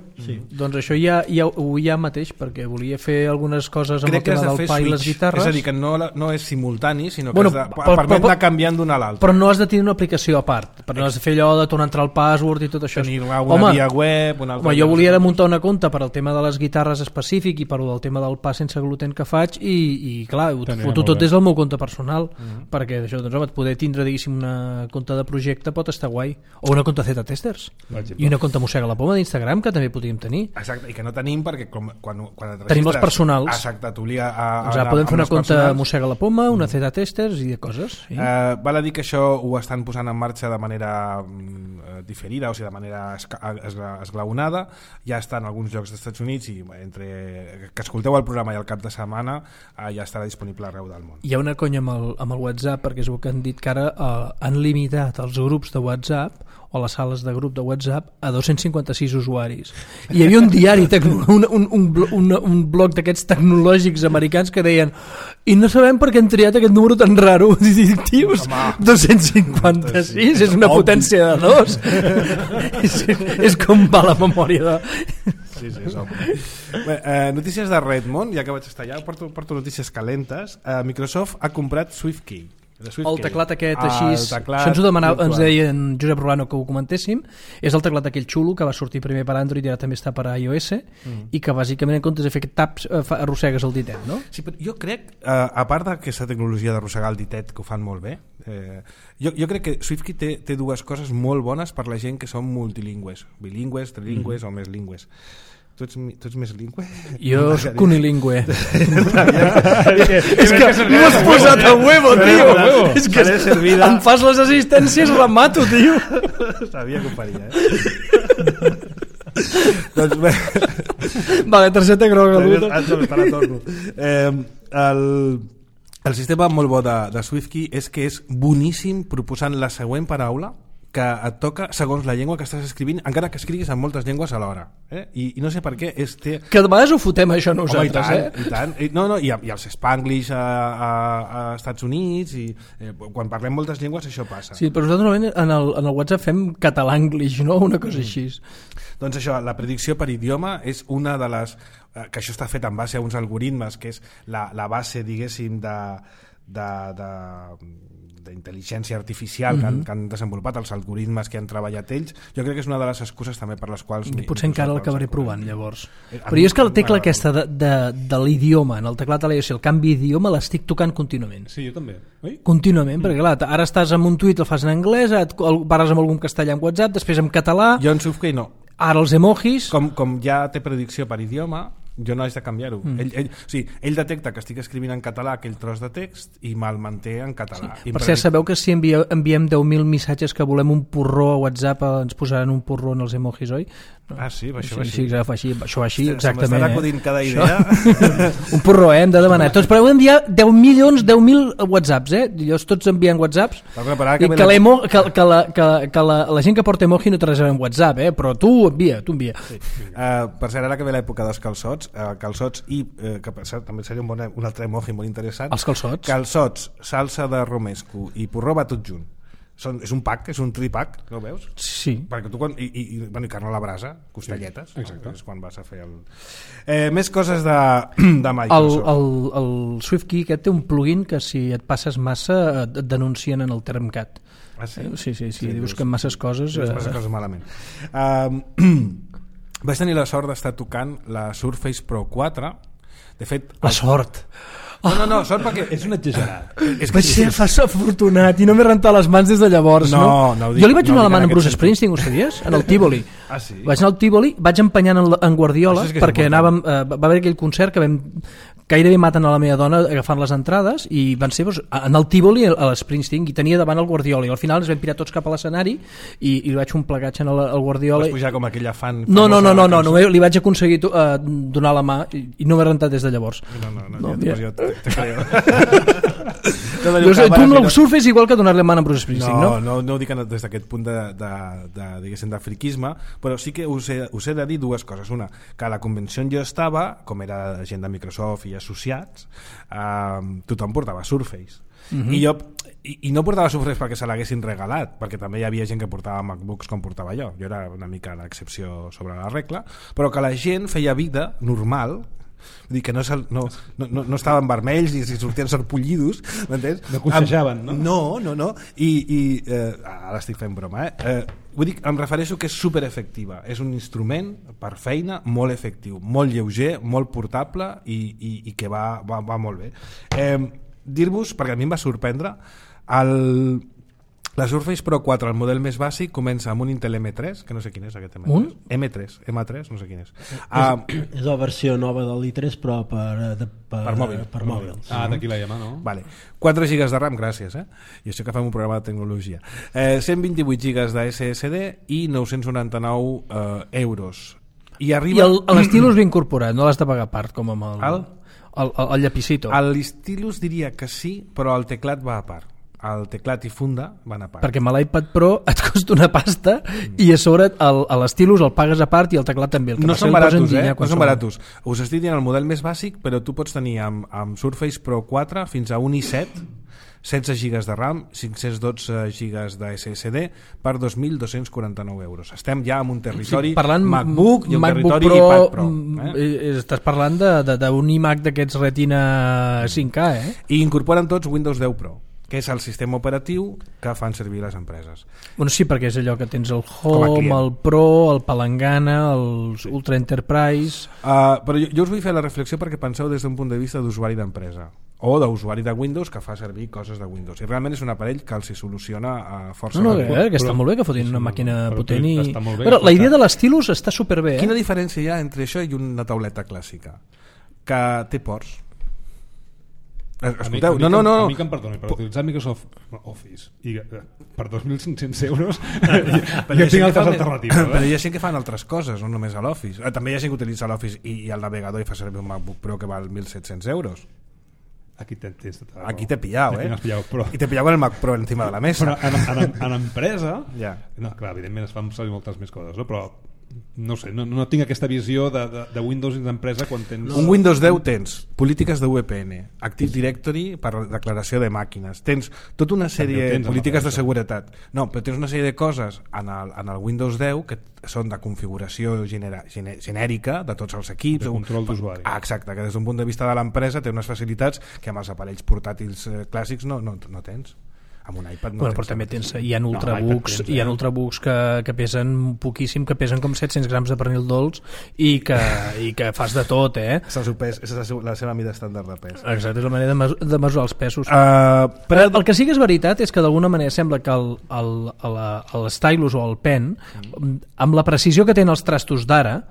Doncs això ja mateix, perquè volia fer algunes coses amb el tema del pa i les guitarres. És a dir, que no és simultani, sinó que permet anar canviant d'una a l'altra. Però no has de tenir una aplicació a part, però no has de fer allò de tornar a entrar al password i tot això. Tenir una via web, una altra... Jo volia muntar una compte per al tema de les guitarres específic i per al tema del pa sense gluten que faig i clar, ho foto tot des del meu compte personal, perquè això, doncs home, poder tindre, diguéssim, una compte de projecte pot estar guai. O una compte Z-Testers i una compte Mossega la Poma d'Instagram que també podríem tenir. Exacte, i que no tenim perquè quan et registres... Tenim els personals. Exacte, t'obliga podem fer una compte Mossega la Poma, una Z-Testers i de coses. Val a dir que això ho estan posant en marxa de manera diferida, o sigui, de manera esglaonada. Ja està en alguns llocs dels Estats Units i entre que escolteu el programa i el cap de setmana ja estarà disponible arreu del món. Hi ha una conya amb el WhatsApp, perquè és el que han dit que ara han limitat els grups de WhatsApp o les sales de grup de WhatsApp a 256 usuaris. I hi havia un diari, un blog d'aquests tecnològics americans que deien i no sabem per què han triat aquest número tan raro. Tios, 256 és una potència de 2. és com va la memòria de... Sí, és obvi. Notícies de Redmond, ja que vaig estar allà, porto notícies calentes. Microsoft ha comprat SwiftKey. El teclat aquest així, això ens deien Josep Rolano que ho comentéssim, és el teclat aquell xulo que va sortir primer per Android i ara també està per iOS i que bàsicament en comptes de fer aquest taps arrossegues el ditet, no? Sí, però jo crec, a part d'aquesta tecnologia d'arrossegar el ditet que ho fan molt bé, jo crec que SwiftKey té dues coses molt bones per la gent que són multilingües, bilingües, trilingües o més lingües. Tu ets més lingüe? Jo soc unilingüe. És que m'ho has posat a huevo, tio. És que em fas les assistències, remato, tio. Sabia que ho faria, Doncs bé. Vale, targeta groga. Ara torno. El sistema molt bo de SwiftKey és que és boníssim proposant la següent paraula que et toca segons la llengua que estàs escrivint, encara que escriguis en moltes llengües alhora. I no sé per què que de vegades ho fotem això nosaltres. I tant. I els Spanglish a Estats Units i quan parlem moltes llengües això passa. Sí, però nosaltres normalment en el WhatsApp fem català-anglish, no? Una cosa així. Doncs això, la predicció per idioma és una de les... que això està fet en base a uns algoritmes que és la base, diguéssim, d'intel·ligència artificial que han desenvolupat els algoritmes que han treballat ells. Jo crec que és una de les excuses també per les quals... Potser encara l'acabaré provant, llavors. Però jo és que la tecla aquesta de l'idioma, en el teclat a l'iOS, el canvi d'idioma l'estic tocant contínuament. Sí, jo també. Contínuament, perquè clar, ara estàs en un tuit, el fas en anglès, parles amb algun castellà en WhatsApp, després en català... Jo en SwiftKey no. Ara els emojis... Com ja té predicció per idioma, jo no haig de canviar-ho. Ell detecta que estic escrivint en català aquell tros de text i me'l manté en català. Sí. Per cert, sabeu que si enviem 10.000 missatges que volem un porró a WhatsApp ens posaran un porró en els emojis, oi? Ah, sí, això va així, exactament. Se m'estarà acudint cada idea. Un porró, hem de demanar. Tots, però heu d'enviar 10.000 WhatsApps, Jo tots envien WhatsApps i que la gent que porta emoji no té res a veure amb WhatsApp, però tu envia. Sí. Per cert, ara que ve l'època dels calçots, que per cert també seria un altre emoji molt interessant. Els calçots? Calçots, salsa de romesco i porró va tot junt. És un pack, és un tripack, no ho veus? Sí. Perquè tu i carn a la brasa, costelletes, sí, exacte. És quan vas a fer més coses de Microsoft. El SwiftKey aquest té un plugin que si et passes massa et denuncien en el Termcat. Ah, sí? Sí, dius que en masses coses... Masses coses malament. Vaig tenir la sort d'estar tocant la Surface Pro 4. De fet... La sort! No, sort perquè... És un exagerat. Vaig ser afortunat i no m'he rentat les mans des de llavors. No, jo li vaig donar la mà a Bruce Springsteen, ho sabies? En el Tívoli. Ah, sí? Vaig anar al Tívoli, vaig empenyant en Guardiola perquè anàvem, va haver aquell concert que vam gairebé maten a la meva dona agafant les entrades i van ser en el Tívoli a l'Springsteen i tenia davant el Guardiola i al final ens vam pirar tots cap a l'escenari i li vaig fer un plegatge al Guardiola. Vas pujar com aquella fan... No, li vaig aconseguir donar la mà i no m'he rentat des de llavors. No, jo te creo. Tu no el surfes igual que donar-li la mà a Bruce Springsteen, no ho dic des d'aquest punt de friquisme, però sí que us he de dir dues coses. Una, que a la convenció on jo estava, com era gent de Microsoft i associats, tothom portava Surface. I no portava Surface perquè se l'haguessin regalat, perquè també hi havia gent que portava MacBooks com portava jo era una mica l'excepció sobre la regla, però que la gent feia vida normal, vull dir que no estaven vermells i sortien sarpullidos, m'entens? No concejaven, no? No, i ara estic fent broma, vull dir, em refereixo que és superefectiva, és un instrument per feina molt efectiu, molt lleuger, molt portable i que va molt bé. Dir-vos, perquè a mi em va sorprendre, la Surface Pro 4, el model més bàsic, comença amb un Intel M3, que no sé quin és aquest M3. M3, no sé quin és. És la versió nova de l'i3, però per mòbils. D'aquí la llama, no? Vale. 4 GB de RAM, gràcies. I això que fem un programa de tecnologia. 128 GB de SSD i 999 euros. I l'Stylus ve incorporat, no l'has de pagar a part, com amb el llapicito. L'Stylus diria que sí, però el teclat va a part. El teclat i funda van a part. Perquè amb l'iPad Pro et costa una pasta i a sobre l'Stylus el pagues a part i el teclat també. No són baratos, no són baratos. Us estic dient el model més bàsic, però tu pots tenir amb Surface Pro 4 fins a 1 i7, 16 GB de RAM, 512 GB de SSD per 2.249 euros. Estem ja en un territori MacBook i un territori iPad Pro. Estàs parlant d'un iMac d'aquests Retina 5K, I incorporen tots Windows 10 Pro, que és el sistema operatiu que fan servir les empreses. Bueno, sí, perquè és allò que tens el Home, el Pro, el Palangana, els Ultra Enterprise... Però jo us vull fer la reflexió perquè penseu des d'un punt de vista d'usuari d'empresa o d'usuari de Windows que fa servir coses de Windows. I realment és un aparell que els soluciona força que està molt bé que fotin una màquina potent i... Però la idea de l'Stylus està superbé. Quina diferència hi ha entre això i una tauleta clàssica? Que té ports. Escolteu, no. A mi que em perdoni, per utilitzar Microsoft Office i per 2.500 euros jo tinc altres alternatives. Però hi ha gent que fan altres coses, no només a l'Office. També hi ha gent que utilitza l'Office i el navegador i fa servir un MacBook Pro que val 1.700 euros. Aquí t'he pillat, I t'he pillat con el Mac Pro encima de la mesa. Però en empresa, no, clar, evidentment es fan servir moltes més coses, no? Però no sé, no tinc aquesta visió de Windows d'empresa quan tens... Un Windows 10 tens polítiques de VPN, Active Directory per declaració de màquines, tens tota una sèrie de polítiques de seguretat, però tens una sèrie de coses en el Windows 10 que són de configuració genèrica de tots els equips, de control d'usuari. Exacte, que des d'un punt de vista de l'empresa té unes facilitats que amb els aparells portàtils clàssics no tens. Amb un iPad no bueno, però també hi ha ultrabooks, hi ha ultrabooks que pesen poquíssim, que pesen com 700 grams de pernil dolç i que fas de tot, És la seva mida estàndard de pes. Exacte, és la manera de mesurar els pesos. Però el que sí que és veritat és que d'alguna manera sembla que el stylus o el pen, amb la precisió que tenen els trastos d'ara,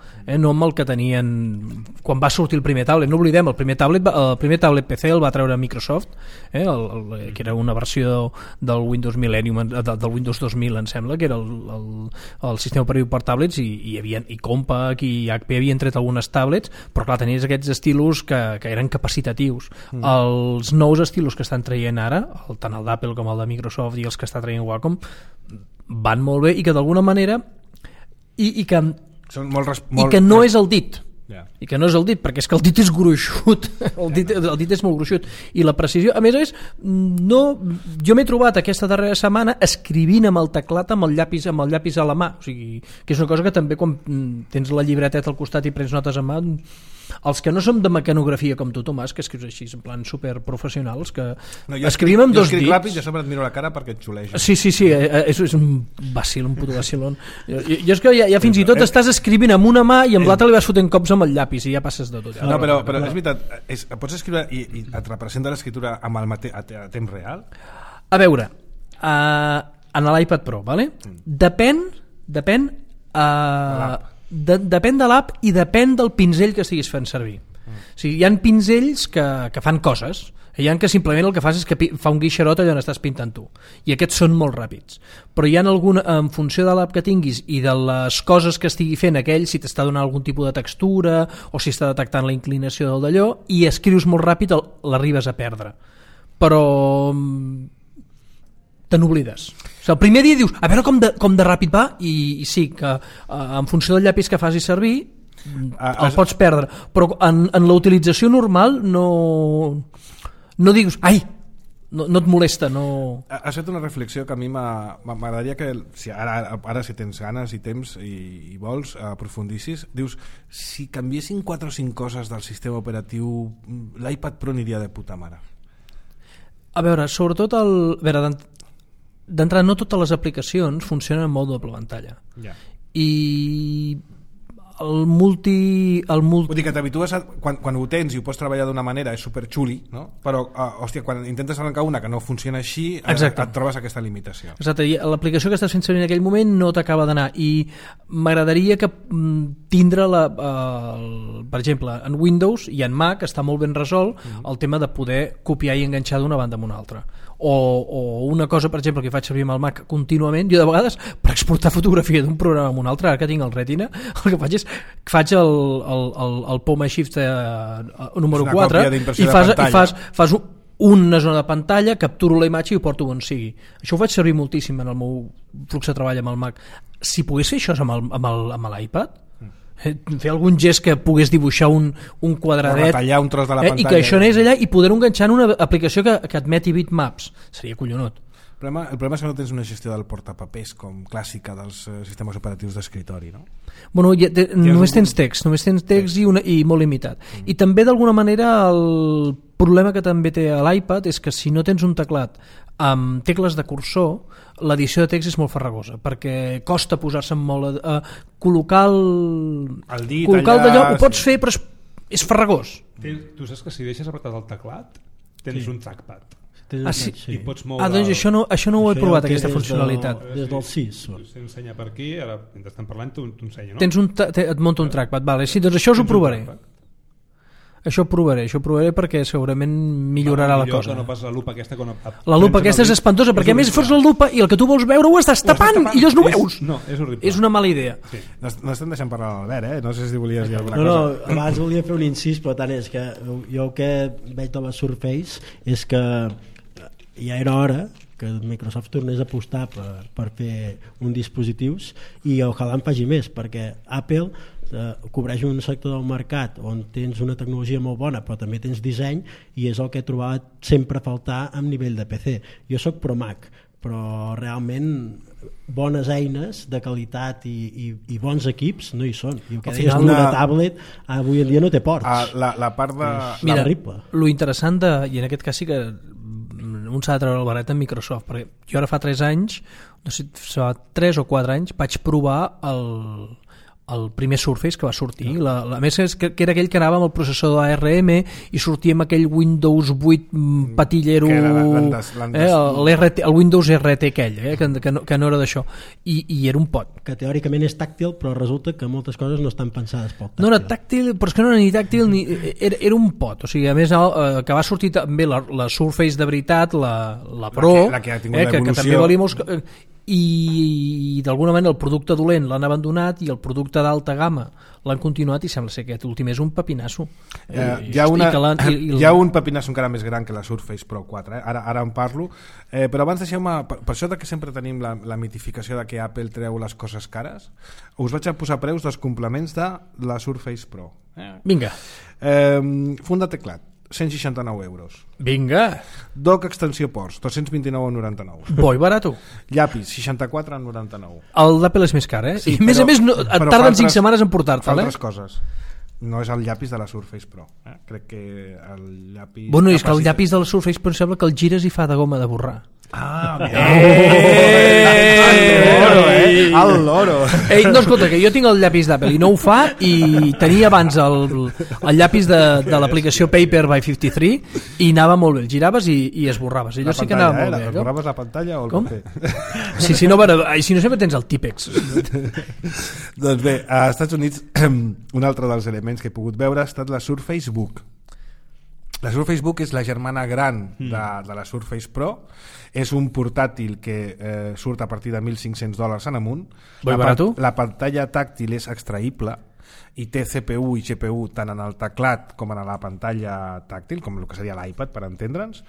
no amb el que tenien quan va sortir el primer tablet, no oblidem, el primer tablet PC el va treure Microsoft, que era una versió del Windows Millennium, del Windows 2000 em sembla, que era el sistema operatiu per tablets, i Compaq i HP havien tret algunes tablets, però clar, tenies aquests estilos que eren capacitatius. Els nous estilos que estan traient ara, tant el d'Apple com el de Microsoft i els que està traient Wacom, van molt bé, i que d'alguna manera i que no és el dit, i que no és el dit, perquè és que el dit és gruixut, el dit és molt gruixut, i la precisió, a més jo m'he trobat aquesta darrera setmana escrivint amb el teclat amb el llapis a la mà, o sigui, que és una cosa que també quan tens la llibreteta al costat i prens notes a mà, els que no som de mecanografia com tu, Tomàs, que escrius així en plan superprofessionals, que escrivim amb dos dits. Jo escric l'àpid i a sobre et miro la cara perquè et xulejo. Sí, és un vacil, un puto vacilón. Jo és que ja fins i tot estàs escrivint amb una mà i amb l'altra li vas fotent cops amb el llapis i ja passes de tot. No, però és veritat, pots escriure i et representa l'escriptura a temps real? A veure, en l'iPad Pro, ¿vale? Depèn de l'app i depèn del pinzell que estiguis fent servir. O sigui, hi ha pinzells que fan coses, hi ha que simplement el que fas és que fa un guixerot allà on estàs pintant tu, i aquests són molt ràpids, però hi ha en funció de l'app que tinguis i de les coses que estigui fent aquell, si t'està donant algun tipus de textura o si està detectant la inclinació del d'allò, i escrius molt ràpid, l'arribes a perdre, però te n'oblides. O sigui, el primer dia dius, a veure com de ràpid va, i sí, que en funció del llapis que facis servir el pots perdre, però en la utilització normal no digues, ai, no et molesta, no... Has fet una reflexió que a mi m'agradaria que ara si tens ganes i temps i vols aprofundissis, dius, si canviessin 4 o 5 coses del sistema operatiu, l'iPad Pro aniria de puta mare. A veure, sobretot d'entrada no totes les aplicacions funcionen en mode doble pantalla, i el multi... Vull dir que t'habitues quan ho tens i ho pots treballar d'una manera és superxuli, no? Però hòstia, quan intentes arrencar una que no funciona així, et trobes aquesta limitació. Exacte, i l'aplicació que estàs fent servir en aquell moment no t'acaba d'anar, i m'agradaria que tindre per exemple, en Windows i en Mac està molt ben resolt el tema de poder copiar i enganxar d'una banda amb una altra, o una cosa, per exemple, que faig servir amb el Mac contínuament, jo de vegades per exportar fotografia d'un programa a un altre, ara que tinc el Retina, el que faig és que faig el Poma Shift número 4 i fas una zona de pantalla, capturo la imatge i ho porto on sigui. Això ho faig servir moltíssim en el meu flux de treball amb el Mac. Si pogués fer això amb l'iPad, fer algun gest que pogués dibuixar un quadradet, retallar un tros de la pantalla, i que això anés allà i poder-ho enganxar en una aplicació que admeti bitmaps, seria collonut. El problema és que no tens una gestió del portapapers com clàssica dels sistemes operatius d'escritori, no? Bueno, només tens text i molt limitat. I també d'alguna manera el problema que també té l'iPad és que si no tens un teclat amb tecles de cursor, l'edició de text és molt farragosa, perquè costa posar-se molt col·locar el dit d'allò, ho pots fer però és farragós. Tu saps que si deixes apretat el teclat tens un trackpad. Sí. I pots moure... Doncs això no ho he provat, aquesta funcionalitat. Des del 6. S'ensenya per aquí, ara mentre estem parlant t'ho ensenya, no? Et munta un trackpad, vale. Sí, doncs això us ho provaré. Això ho provaré perquè segurament millorarà la cosa. Que no pas la lupa aquesta, la lupa aquesta és espantosa, perquè a més fots la lupa i el que tu vols veure ho estàs tapant i llavors no ho veus. No, és horrible. És una mala idea. Sí. No estem deixant parlar l'Albert, no sé si volies dir alguna cosa. No, abans volia fer un incís, però tant és que jo el que veig de la Surface és que ja era hora que Microsoft tornés a apostar per fer un dispositius, i ojalà en faci més, perquè Apple cobreix un sector del mercat on tens una tecnologia molt bona però també tens disseny, i és el que he trobat sempre a faltar amb nivell de PC. Jo soc pro Mac, però realment bones eines de qualitat i bons equips no hi són, i el que deies una tablet avui en dia no té ports. La part de... Mira, lo interessant i en aquest cas sí que un s'ha de treure el barret amb Microsoft, perquè jo ara fa 3 anys, no sé, fa 3 o 4 anys, vaig provar el primer Surface que va sortir. A més, que era aquell que anava amb el processador ARM i sortia amb aquell Windows 8 patillero, el Windows RT aquell, que no era d'això. I era un pot. Que teòricament és tàctil, però resulta que moltes coses no estan pensades pel tàctil. No era tàctil, però és que no era ni tàctil, era un pot. O sigui, a més, que va sortir també la Surface de veritat, la Pro, la que ha tingut l'evolució. Que també valia molts... I d'alguna manera el producte dolent l'han abandonat i el producte d'alta gamma l'han continuat i sembla ser que aquest últim és un pepinasso. Hi ha un pepinasso encara més gran que la Surface Pro 4, ara en parlo, però abans deixeu-me, per això que sempre tenim la mitificació de que Apple treu les coses cares, us vaig a posar preus dels complements de la Surface Pro. Vinga. Funda de teclat, 169 euros. Vinga. Dock extensió ports, 229,99. Bo i barato. Llapis, 64,99. El d'Apple és més car, Sí, i a més et tarden 5 setmanes en portar-te'l. Fa altres coses. No és el llapis de la Surface Pro. Crec que el llapis... Bueno, és que el llapis de la Surface Pro sembla que el gires i fa de goma de borrar. Al loro. No, escolta, que jo tinc el llapis d'Apple i no ho fa, i tenia abans el llapis de l'aplicació Paper by 53 i anava molt bé, el giraves i esborraves. Allò sí que anava molt bé. Esborraves la pantalla o el paper? Sí, si no sempre tens el Típex. Doncs bé, a Estats Units un altre dels elements que he pogut veure ha estat la Surface Book. La Surface Book és la germana gran de la Surface Pro. És un portàtil que surt a partir de $1.500 en amunt. La pantalla tàctil és extraïble i té CPU i GPU tant en el teclat com en la pantalla tàctil, com el que seria l'iPad, per entendre'ns.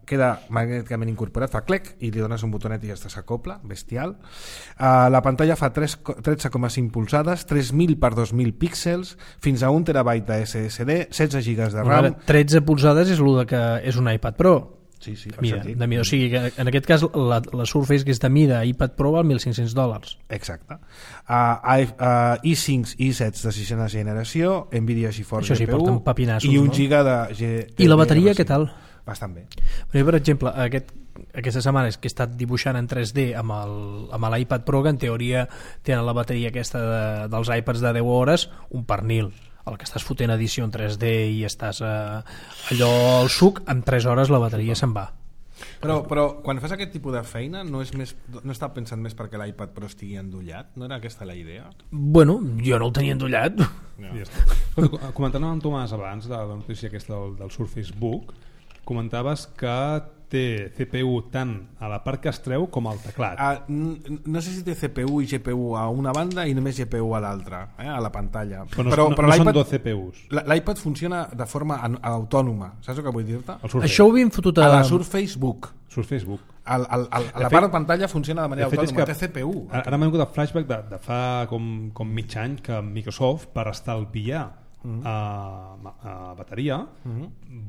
Queda magnèticament incorporat, fa clec i li dones un botonet i ja s'acopla, bestial. La pantalla fa 13,5 polzades, 3.000 per 2.000 píxels, fins a 1 terabyte de SSD, 16 GB de RAM. 13 polzades és el que és un iPad Pro. Sí, de mida. O sigui que en aquest cas la Surface, que és de mida iPad Pro, val $1.500. Exacte. i5 i i7 de 6ena generació, Nvidia GeForce GPU i 1 GB de... I la bateria què tal? Bastant bé. Per exemple, aquesta setmana que he estat dibuixant en 3D amb l'iPad Pro, que en teoria tenen la bateria aquesta dels iPads de 10 hores, un pernil. El que estàs fotent edició en 3D i estàs allò al suc, en 3 hores la bateria se'n va. Però quan fas aquest tipus de feina no està pensant més perquè l'iPad Pro estigui endollat? No era aquesta la idea? Bueno, jo no el tenia endollat. Comentant amb Tomàs abans de la notícia aquesta del Surface Book, comentaves que té CPU tant a la part que es treu com al teclat. No sé si té CPU i GPU a una banda i només GPU a l'altra, a la pantalla. Però no són dos CPUs. L'iPad funciona de forma autònoma, saps el que vull dir-te? Això ho havíem fotut a la Surface Book. La part de pantalla funciona de manera autònoma, té CPU. Ara m'ha vingut el flashback de fa com mig any que Microsoft, per estalviar bateria,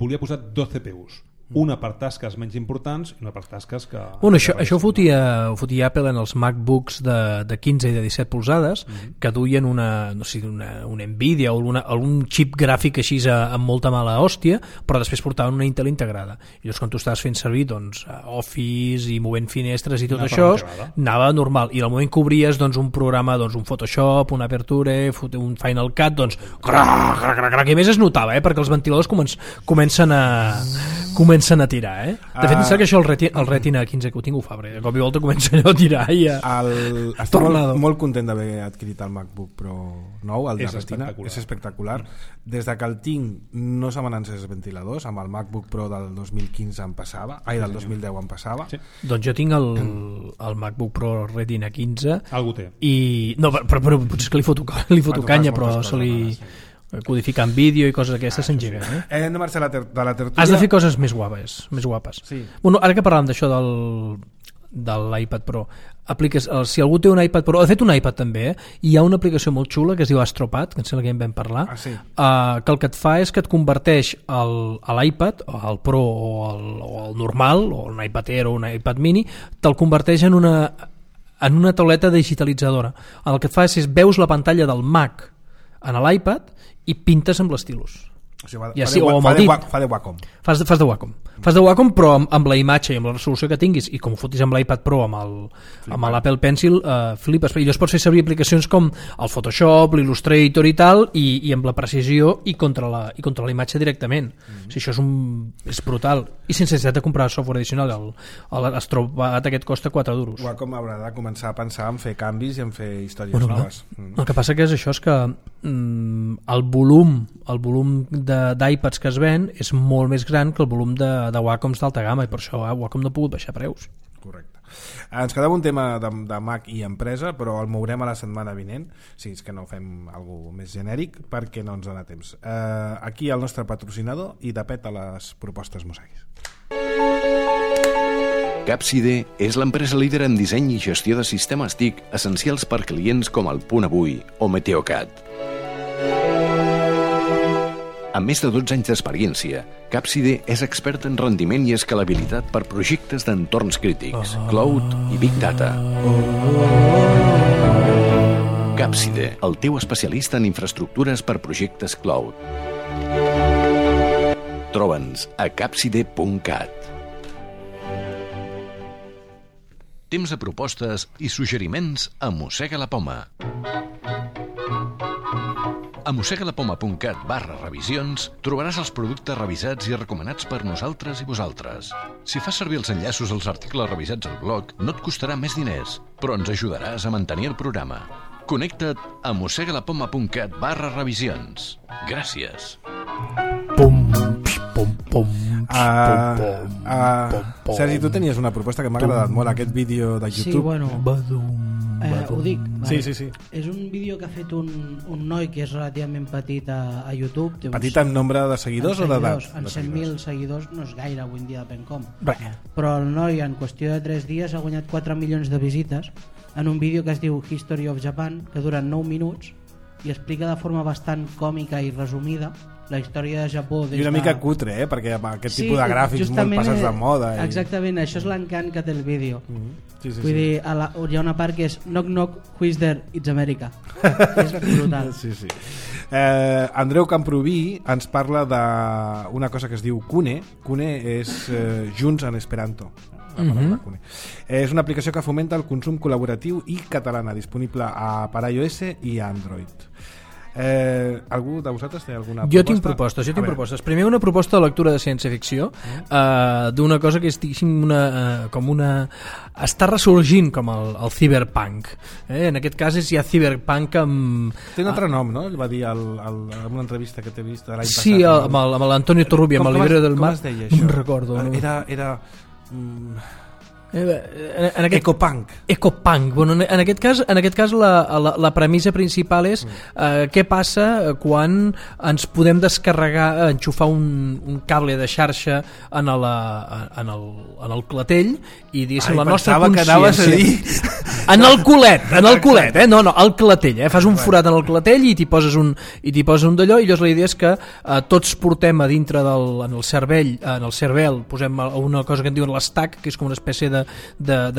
volia posar 2 CPUs. Una per tasques menys importants i una per tasques que... Bueno, això ho fotia Apple en els MacBooks de 15 i de 17 polzades, que duien una Nvidia o algun xip gràfic així amb molta mala hòstia, però després portaven una Intel integrada. I llavors quan tu estaves fent servir Office i movent finestres i tot això, anava normal. I al moment que obries un programa, un Photoshop, un Aperture, un Final Cut, i a més es notava, perquè els ventiladors comencen a tirar, De fet, em sembla que això el Retina 15 que ho tinc ho fa, perquè de cop i volta comença allò a tirar i estic molt content d'haver adquirit el MacBook Pro nou, el de Retina, és espectacular. Des de que el tinc no se me n'han encès els ventiladors, amb el MacBook Pro del 2015 em passava, del 2010 em passava. Doncs jo tinc el MacBook Pro Retina 15. Algú té. No, però potser és que li foto canya, però se li... codificant vídeo i coses d'aquestes s'engeguen. Hem de marxar de la tertúlia. Has de fer coses més guapes. Sí. Bueno, ara que parlàvem d'això de l'iPad Pro, si algú té un iPad Pro, de fet un iPad també, hi ha una aplicació molt xula que es diu AstroPad, que em sembla que en vam parlar, que el que et fa és que et converteix l'iPad, el Pro o el normal, o un iPad Air o un iPad Mini, te'l converteix en una tauleta digitalitzadora. El que et fa és veus la pantalla del Mac en l'iPad i pintes amb l'estilus. Fa de Wacom. Fas de Wacom. Fas de Wacom però amb la imatge i amb la resolució que tinguis, i com ho fotis amb l'iPad Pro amb l'Apple Pencil, flipes. I llavors pots fer servir aplicacions com el Photoshop, l'Illustrator i tal, i amb la precisió i contra la imatge directament. O sigui, això és brutal, i sense necessitat de comprar software addicional. L'Astrobat aquest costa 4 duros. Wacom haurà de començar a pensar en fer canvis i en fer històries noves. El que passa que és això, és que el volum d'iPads que es ven és molt més gran que el volum de Wacoms d'alta gamma, i per això Wacom no ha pogut baixar preus. Correcte. Ens quedava un tema de Mac i empresa, però el mourem a la setmana vinent, si és que no fem alguna més genèric, perquè no ens dona temps. Aquí el nostre patrocinador i de pet a les propostes Museguis. Capside és l'empresa líder en disseny i gestió de sistemes TIC essencials per clients com el Punt Avui o Meteocat. Amb més de 12 anys d'experiència, Capside és expert en rendiment i escalabilitat per projectes d'entorns crítics, cloud i big data. Capside, el teu especialista en infraestructures per projectes cloud. Troba'ns a capside.cat. Temps de propostes i suggeriments a Mossega la Poma. A mossegalapoma.cat/revisions trobaràs els productes revisats i recomanats per nosaltres i vosaltres. Si fas servir els enllaços als articles revisats al blog, no et costarà més diners, però ens ajudaràs a mantenir el programa. Connecta't a mossegalapoma.cat/revisions. Gràcies. Sergi, tu tenies una proposta que m'ha agradat molt, aquest vídeo de YouTube. Sí, bueno, ho dic, vale. Sí. És un vídeo que ha fet un noi que és relativament petit a YouTube. Petit en nombre de seguidors o d'edat? En 100.000 seguidors no és gaire avui en dia, depèn com. Bé. Però el noi en qüestió de 3 dies ha guanyat 4 milions de visites en un vídeo que es diu History of Japan, que dura 9 minuts i explica de forma bastant còmica i resumida la història de Japó. I una mica cutre, perquè amb aquest tipus de gràfics molt passats de moda. Exactament, això és l'encant que té el vídeo. Sí. Vull dir, hi ha una part que és knock knock, who is there? It's America. És brutal. Sí. Andreu Camproví ens parla d'una cosa que es diu Kune. Kune és Junts en Esperanto. Kune. És una aplicació que fomenta el consum col·laboratiu i catalana, disponible per iOS i Android. Algú de vosaltres té alguna proposta? Jo tinc propostes. Primer, una proposta de lectura de ciència-ficció, d'una cosa que és com una... està ressorgint com el cyberpunk. En aquest cas és ja cyberpunk amb... Té un altre nom, no? El va dir en una entrevista que t'he vist l'any passat. Sí, amb l'Antonio Torrubia, amb el Libre del Mar. Com es deia això? No me'n recordo. Era Ecopunk. Bueno, en aquest cas la premissa principal és què passa quan ens podem descarregar, enxufar un cable de xarxa en el clatell i diguéssim la nostra consciència en el culet, no, al clatell, fas un forat en el clatell i t'hi poses un d'allò, i llavors la idea és que tots portem a dintre en el cervell posem una cosa que en diuen l'estac, que és com una espècie de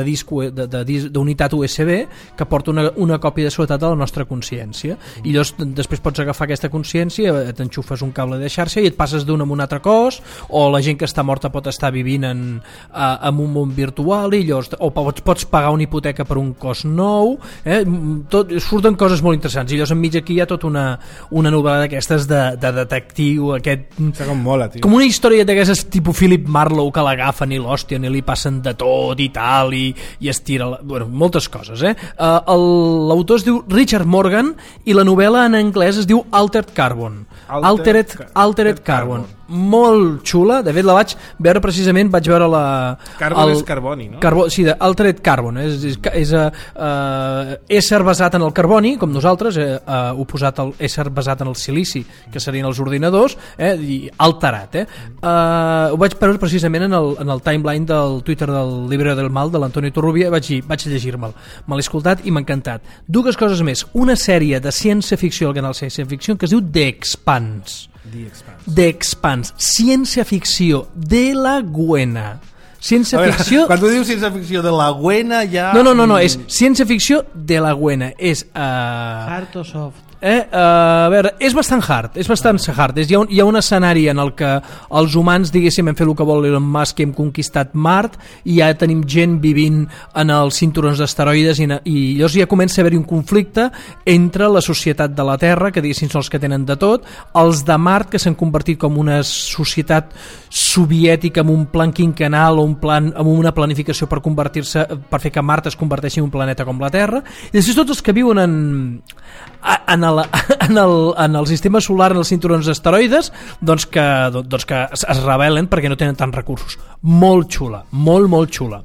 disc d'unitat USB que porta una còpia de seguretat de la nostra consciència, i llavors després pots agafar aquesta consciència, t'enxufes un cable de xarxa i et passes d'un a un altre cos, o la gent que està morta pot estar vivint en un món virtual, i llavors pots pagar una hipoteca per un cos nou, surten coses molt interessants, i llavors enmig aquí hi ha tota una novel·la d'aquestes de detectiu, com una història d'aquestes tipus Philip Marlowe, que l'agafen i l'hòstien i li passen de tot i tal, i es tira moltes coses. L'autor es diu Richard Morgan i la novel·la en anglès es diu Altered Carbon. Altered Carbon. Molt xula, de fet la vaig veure precisament, vaig veure Carbon és carboni, no? Sí, Altered Carbon, és ésser basat en el carboni, com nosaltres, oposat al ésser basat en el silici, que serien els ordinadors, i alterat. Ho vaig veure precisament en el timeline del Twitter del Libre del Mal de l'Antonio Torrubia, vaig llegir-me'l, me l'he escoltat i m'ha encantat. Dues coses més, una sèrie de ciència-ficció al canal Ciència-Ficció que es diu The Expanse. Ciència-ficció de la Gwena. Ciència-ficció... Quan tu dius ciència-ficció de la Gwena ja... No, és ciència-ficció de la Gwena. És... Hard o soft? A veure, és bastant hard. Hi ha un escenari en el que els humans, diguéssim, hem fet el que vol Elon Musk i hem conquistat Mart, i ja tenim gent vivint en els cinturons d'asteroides, i llavors ja comença a haver-hi un conflicte entre la societat de la Terra, que diguéssim són els que tenen de tot, els de Mart, que s'han convertit com una societat soviètica amb un plan quinquenal o amb una planificació per fer que Mart es converteixi en un planeta com la Terra, i després tots els que viuen en el sistema solar, en els cinturons d'asteroides, doncs que es rebel·len perquè no tenen tants recursos. Molt xula, molt xula.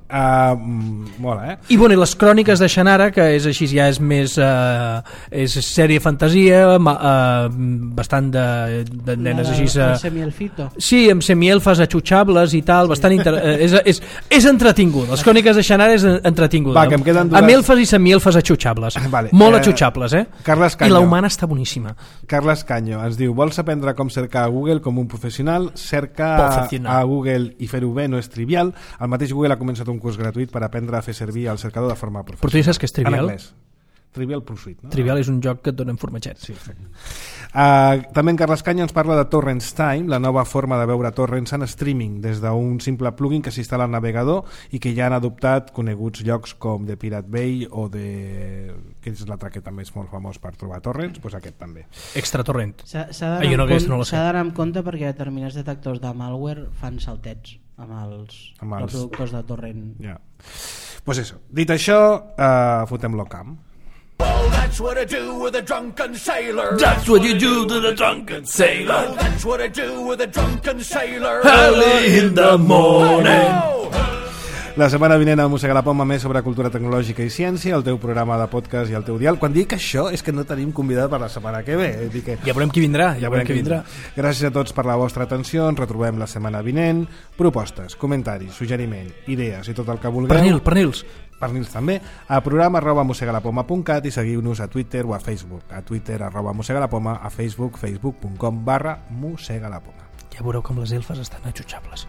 Mola, I bueno, i les cròniques de Shannara, que és així, ja és més és sèrie fantasia, bastant de nenes així. Amb semielfito. Sí, amb semielfes atxutxables i tal, bastant és entretingut. Les cròniques de Shannara és entretinguda. Amb elfes i semielfes atxutxables. Molt atxutxables, Carles Canyo. I la humana està boníssima. Carles Canyo ens diu: vols aprendre com cercar a Google com un professional? Cerca a Google i fer-ho bé no és trivial. El mateix Google ha començat un curs gratuït per aprendre a fer servir el cercador de forma professional. Però tu saps què és trivial? En anglès. Trivial Pursuit, no? Trivial és un joc que et dona en formatget. Sí, també en Carles Canyo ens parla de Torrents Time, la nova forma de veure torrents en streaming des d'un simple plugin que s'instal·la al navegador i que ja han adoptat coneguts llocs com The Pirate Bay o que és l'altre que també és molt famós per trobar torrents, doncs aquest també. Extratorrent. S'ha d'anar amb compte perquè determinats detectors de malware fan saltets amb els reproductors de torrent. Pues eso. Dit això, fotem l'Ocamp. Well, that's what I do with a drunken sailor. That's what you do to the drunken sailor. Well, that's what I do with a drunken sailor. Early in the morning. La setmana vinent a Mossega la Poma més sobre cultura tecnològica i ciència, el teu programa de podcast i el teu dial. Quan dic això és que no tenim convidat per la setmana que ve. Ja veurem qui vindrà. Gràcies a tots per la vostra atenció. Ens retrobem la setmana vinent. Propostes, comentaris, suggeriment, idees i tot el que vulgueu. Pernils també, a programa@mossegalapoma.cat i seguiu-nos a Twitter o a Facebook. A Twitter @mossegalapoma, a Facebook facebook.com/mossegalapoma. Ja veureu com les elfes estan atxutxables.